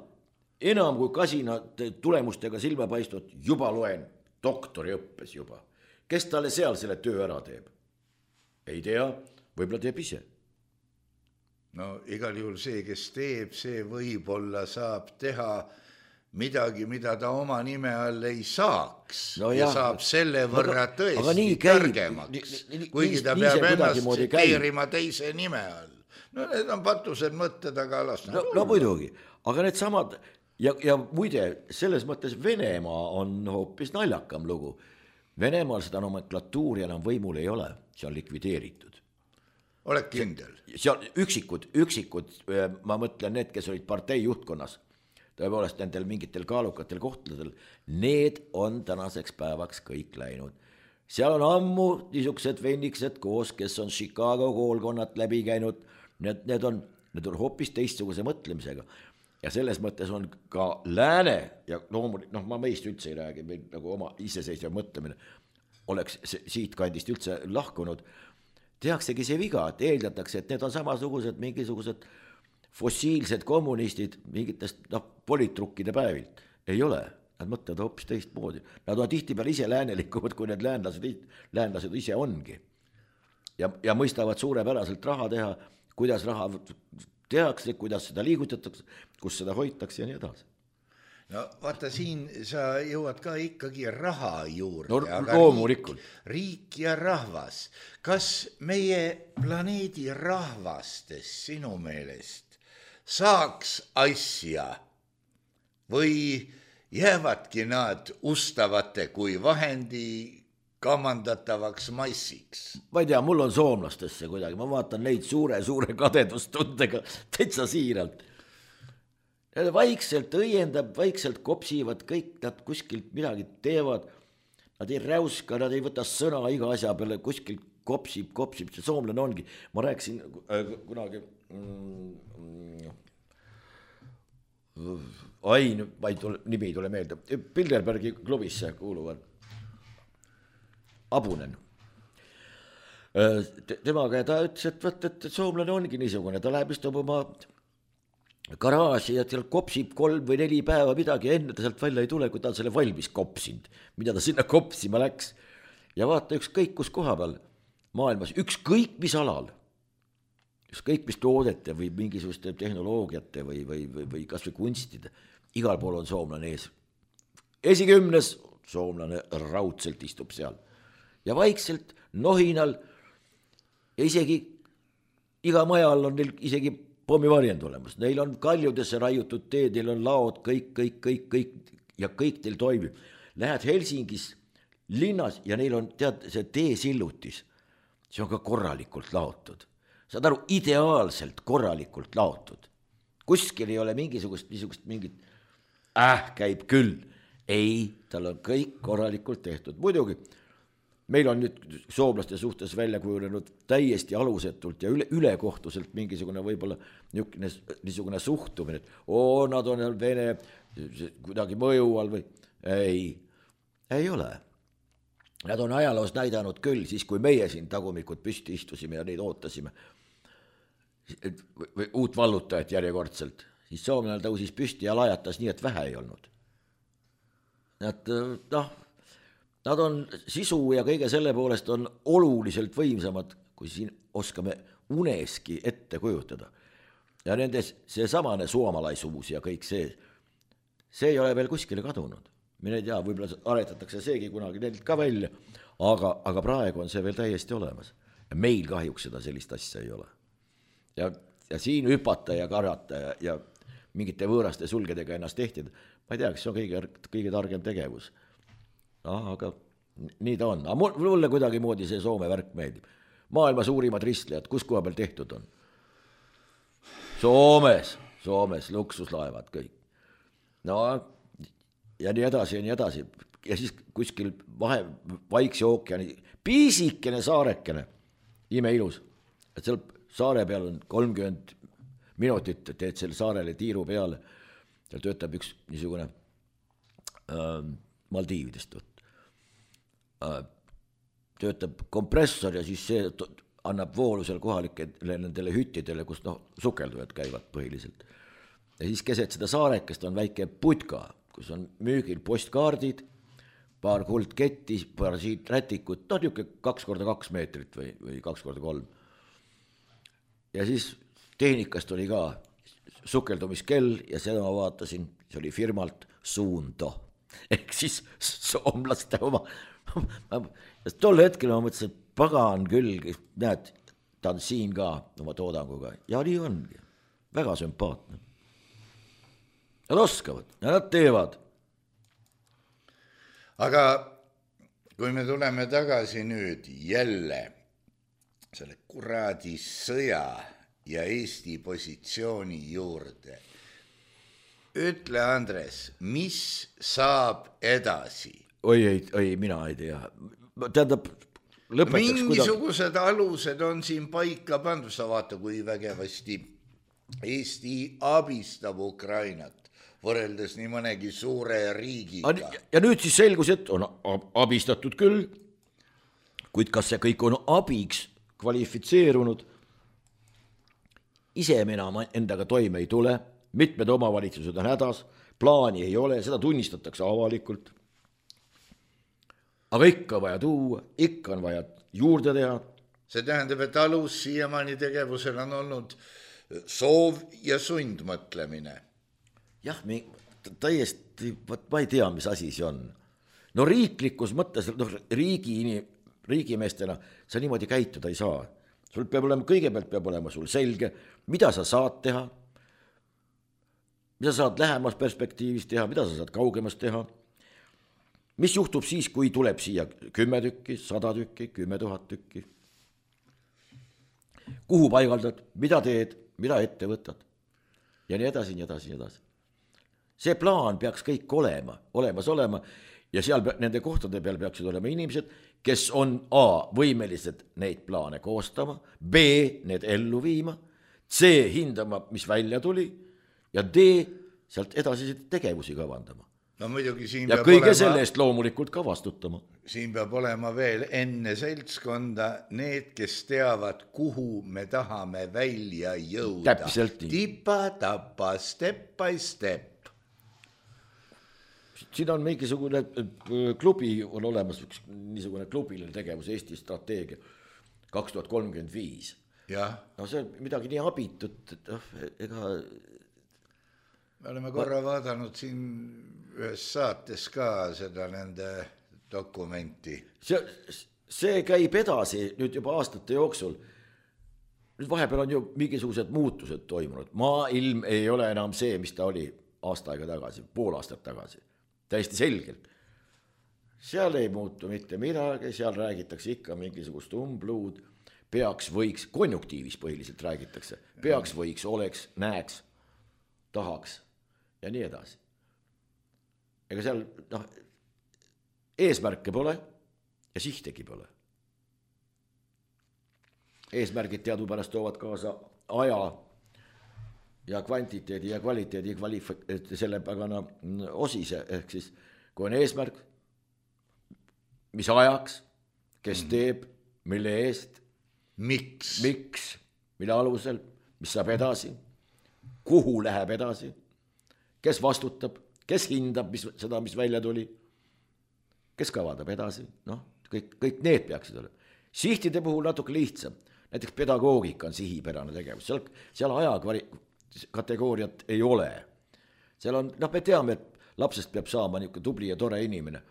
Speaker 2: enam kui kasina tulemustega silma paistnud juba loen doktori õppes juba. Kes talle seal selle töö ära teeb? Ei tea, võib-olla teeb ise.
Speaker 3: No igal juhul see, kes teeb, see võib-olla saab teha midagi, mida ta oma nime all ei saaks. No ja jah, saab selle võrra aga, tõesti aga targemaks, kuigi ta nii peab ennast tsiteerima teise nime all. No need on patused mõtted, aga las
Speaker 2: no, no muidugi, aga need samad ja, ja muide, selles mõttes Venemaa on hoopis naljakam lugu. Venemaal seda nomenklatuuri enam võimul ei ole, see on likvideeritud.
Speaker 3: Oled kindel?
Speaker 2: Seal üksikud, üksikud, ma mõtlen need, kes olid partei juhtkonnas, tõepoolest nendel mingitel kaalukatel kohtadel, need on tänaseks päevaks kõik läinud. Seal on ammu niisugused venniksed koos, kes on Chicago koolkonnad läbi käinud, need, need, on, need on hoopis teistsuguse mõtlemisega. Ja selles mõttes on ka lääne, ja loomulik, noh ma meist üldse ei räägi, meil nagu oma iseseisva mõtlemine oleks siit kandist üldse lahkunud, tehaksegi see viga, et eeldatakse, et need on samasugused mingisugused fossiilsed kommunistid mingitest noh, politrukkide päevilt. Ei ole, nad mõtlevad hoopis teistmoodi. Nad on tihtipeale ise läänelikumad, kui need läänlased, läänlased ise ongi. Ja, ja mõistavad suurepäraselt raha teha, kuidas raha tehakse, kuidas seda liigutatakse, kus seda hoitakse ja nii edasi.
Speaker 3: No vaata, siin sa jõuad ka ikkagi raha juurde.
Speaker 2: No loomulikult.
Speaker 3: Riik, riik ja rahvas. Kas meie planeedi rahvastes sinu meelest saaks asja või jäävadki nad ustavate kui vahendi kamandatavaks massiks?
Speaker 2: Ma ei tea, mul on soomlastesse kuidagi, ma vaatan neid suure-suure kadedustundega täitsa siiralt. Nad vaikselt õiendab, vaikselt kopsivad, kõik nad kuskilt midagi teevad, nad ei räuska, nad ei võta sõna iga asja peale, kuskilt kopsib, kopsib, see soomlane ongi. Ma rääkisin äh, kunagi, mm, ai, ma ei tule, nimi ei tule meelde, Bilderbergi klubisse kuuluvad, Abunen. Temaga ja ta ütles, et, võt, et soomlane ongi niisugune, ta läheb istub oma garaaži ja seal kopsib kolm või neli päeva midagi ja enne ta sealt välja ei tule, kui ta on selle valmis kopsinud, mida ta sinna kopsima läks. Ja vaata ükskõik kus koha peal maailmas, ükskõik mis alal, ükskõik mis toodete või mingisuguste tehnoloogiate või, või, või, või kas või kunstide, igal pool on soomlane ees. Esikümnes soomlane raudselt istub seal ja vaikselt nohinal ja isegi iga maja all on neil isegi pommivarjend olemas, neil on kaljudesse raiutud teed, neil on laod, kõik, kõik, kõik, kõik ja kõik teil toimib. Lähed Helsingis linnas ja neil on tead see teesillutis, see on ka korralikult laotud. Saad aru, ideaalselt korralikult laotud. Kuskil ei ole mingisugust, niisugust mingit, äh, käib küll. Ei, tal on kõik korralikult tehtud. Muidugi, meil on nüüd soomlaste suhtes välja kujunenud täiesti alusetult ja üle, ülekohtuselt mingisugune võib-olla niisugune, niisugune suhtumine, et oo, nad on Vene kuidagi mõju all või ei. ei ole. Nad on ajaloos näidanud küll, siis kui meie siin tagumikud püsti istusime ja neid ootasime, või uut vallutajat järjekordselt, siis soomlane tõusis püsti ja lajatas nii, et vähe ei olnud. Nad, noh, nad on sisu ja kõige selle poolest on oluliselt võimsamad, kui siin oskame uneski ette kujutada. Ja nendes see samane suomalaisuus ja kõik see, see ei ole veel kuskile kadunud. Mine ei tea, võib-olla aretatakse seegi kunagi neilt ka välja, aga, aga praegu on see veel täiesti olemas. Ja meil kahjuks seda sellist asja ei ole. Ja, ja siin hüpata ja karata ja, ja mingite võõraste sulgedega ennast tehtida, ma ei tea, kas see on kõige, kõige targem tegevus. Ah, aga nii ta on. Aga mulle kuidagi moodi see Soome värk meeldib. Maailma suurimad ristlejad, kus koha peal tehtud on? Soomes, Soomes, luksuslaevad kõik. No, ja nii edasi ja nii edasi. Ja siis kuskil vahe, Vaikse ookeani, piisikene saarekene, imeilus. Et seal saare peal on kolmkümmend minutit, teed selle saarele tiiru peale. Seal töötab üks niisugune äh, Maldiividest äh, töötab kompressor ja siis see annab voolu seal kohalikele nendele hüttidele, kus noh, sukeldujad käivad põhiliselt. Ja siis keset seda saarekest on väike putka, kus on müügil postkaardid, paar kuldketti, paar siit rätikut, no niuke kaks korda kaks meetrit või, või kaks korda kolm. Ja siis tehnikast oli ka sukeldumiskell ja seda ma vaatasin, see oli firmalt Suunto. Ehk siis soomlaste oma. Ja tol hetkel ma mõtlesin, et pagan küll, näed, ta on siin ka oma toodanguga. Ja nii ongi. Väga sümpaatne. Nad oskavad ja nad teevad.
Speaker 3: Aga kui me tuleme tagasi nüüd jälle selle kuradi sõja ja Eesti positsiooni juurde, ütle, Andres, mis saab edasi?
Speaker 2: Oi, ei, ei, mina ei tea. Tähendab, lõpetaks
Speaker 3: mingisugused kuidagi... alused on siin paika pandud, sa vaata, kui vägevasti Eesti abistab Ukrainat võrreldes nii mõnegi suure riigiga.
Speaker 2: Ja nüüd siis selgus, et on abistatud küll, kuid kas see kõik on abiks kvalifitseerunud? Ise me enam endaga toime ei tule, mitmed omavalitsused on hädas, plaani ei ole, seda tunnistatakse avalikult. Aga ikka vaja tuua, ikka on vaja juurde teha.
Speaker 3: See tähendab, et alus siiamaani tegevusel on olnud soov ja sundmõtlemine.
Speaker 2: Jah, me täiesti, ma ei tea, mis asi see on. No riiklikus mõttes, no, riigi, riigimeestena sa niimoodi käituda ei saa. Sul peab olema, kõigepealt peab olema sul selge, mida sa saad teha, mida sa saad lähemas perspektiivis teha, mida sa saad kaugemas teha. Mis juhtub siis, kui tuleb siia kümme tükki, sada tükki, kümme tuhat tükki? Kuhu paigaldad, mida teed, mida ette võtad? Ja nii edasi, nii edasi, nii edasi. See plaan peaks kõik olema, olemas olema ja seal nende kohtade peal peaksid olema inimesed, kes on A, võimelised neid plaane koostama, B, need ellu viima, C, hindama, mis välja tuli ja D, sealt edasi tegevusi kavandama.
Speaker 3: No muidugi siin
Speaker 2: ja
Speaker 3: peab
Speaker 2: kõige
Speaker 3: olema,
Speaker 2: selle eest loomulikult ka vastutama.
Speaker 3: Siin peab olema veel enne seltskonda need, kes teavad, kuhu me tahame välja jõuda.
Speaker 2: Täpselt nii.
Speaker 3: Tipa, tapa, step by step.
Speaker 2: Siin on mingisugune klubi, on olemas üks niisugune klubiline tegevus Eesti strateegia kaks tuhat kolmkümmend viis.
Speaker 3: Ja.
Speaker 2: No see on midagi nii abitut, et ega...
Speaker 3: Me oleme korra vaadanud siin ühes saates ka seda nende dokumenti.
Speaker 2: See, see käib edasi nüüd juba aastate jooksul. Nüüd vahepeal on ju mingisugused muutused toimunud. Maailm ei ole enam see, mis ta oli aasta aega tagasi, pool aastat tagasi. Täiesti selgelt. Seal ei muutu mitte midagi, seal räägitakse ikka mingisugust umbluud, peaks, võiks, konjunktiivis põhiliselt räägitakse, peaks, võiks, oleks, näeks, tahaks ja nii edasi. Ega seal noh, eesmärke pole ja sihtegi pole. Eesmärgid teadupärast toovad kaasa aja ja kvantiteedi ja kvaliteedi kvalif- selle pagana osise, ehk siis kui on eesmärk, mis ajaks, kes teeb, mille eest,
Speaker 3: miks,
Speaker 2: miks, mille alusel, mis saab edasi, kuhu läheb edasi, kes vastutab, kes hindab mis, seda, mis välja tuli, kes kavadab edasi, noh, kõik, kõik need peaksid olema. Sihtide puhul natuke lihtsam, näiteks pedagoogika on sihipärane tegevus, seal, seal ajakvari- kategooriat ei ole. Seal on, noh, me teame, et lapsest peab saama niisugune tubli ja tore inimene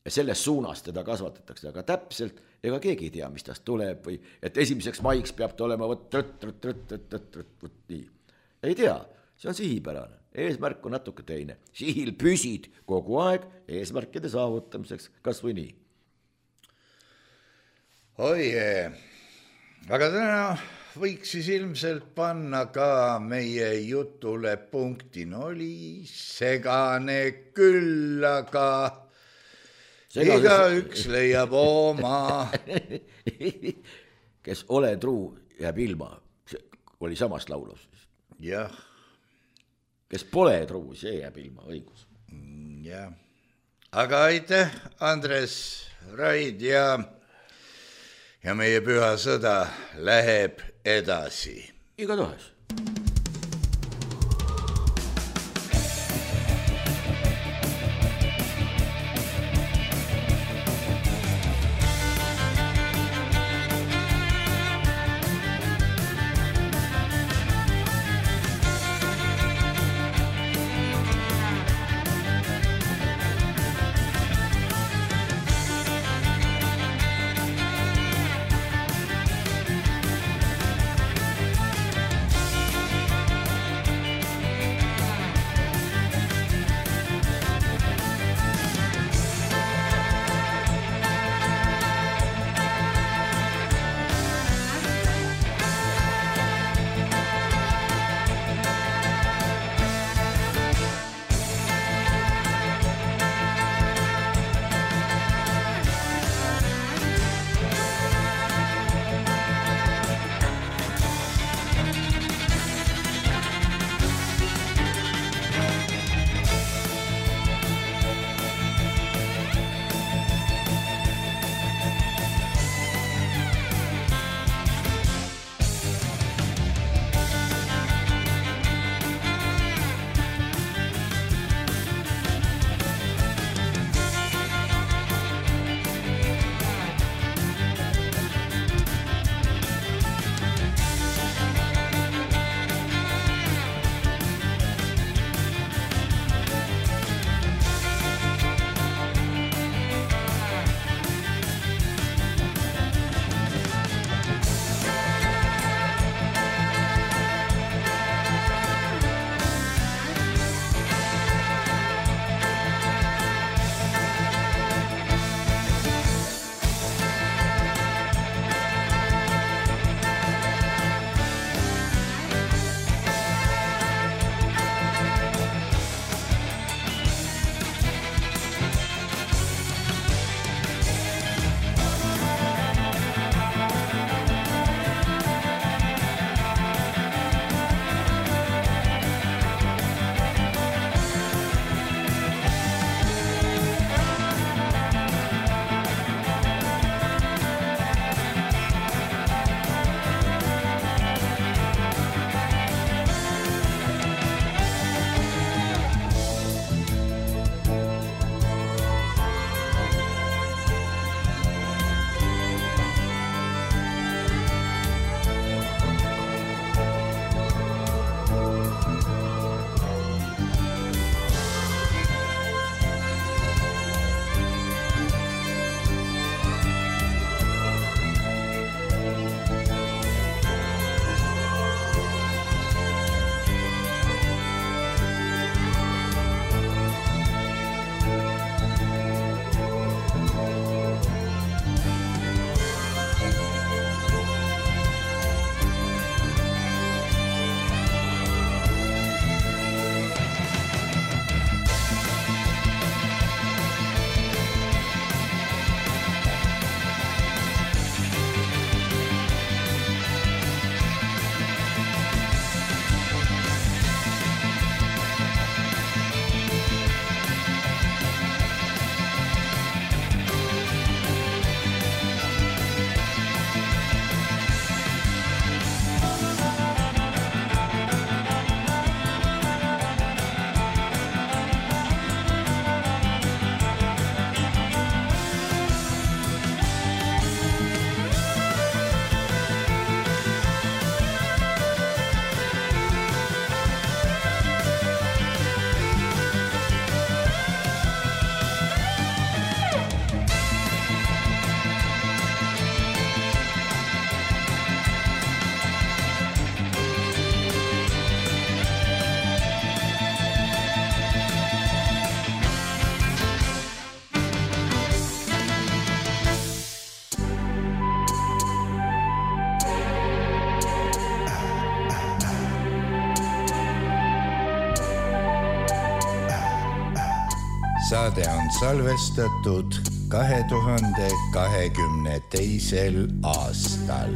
Speaker 2: ja selles suunas teda kasvatatakse, aga täpselt ega keegi ei tea, mis tast tuleb või et esimeseks maiks peab ta olema võt, trõt, trõt, trõt, trõt, trõt, trõt, trõt, nii. Ei tea, see on sihipärane, eesmärk on natuke teine. Sihil püsid kogu aeg eesmärkide saavutamiseks, kas või nii.
Speaker 3: oi jee, aga täna võiks siis ilmselt panna ka meie jutule punkti, no oli segane küll, aga Segases... iga üks leiab oma.
Speaker 2: Kes ole truu, jääb ilma, oli samast laulus.
Speaker 3: Jah.
Speaker 2: Kes pole truu, see jääb ilma, õigus.
Speaker 3: Jah, aga aitäh, Andres Raid ja ja meie püha sõda läheb edasi.
Speaker 2: Igatahes.
Speaker 3: saade on salvestatud kahe tuhande kahekümne teisel aastal.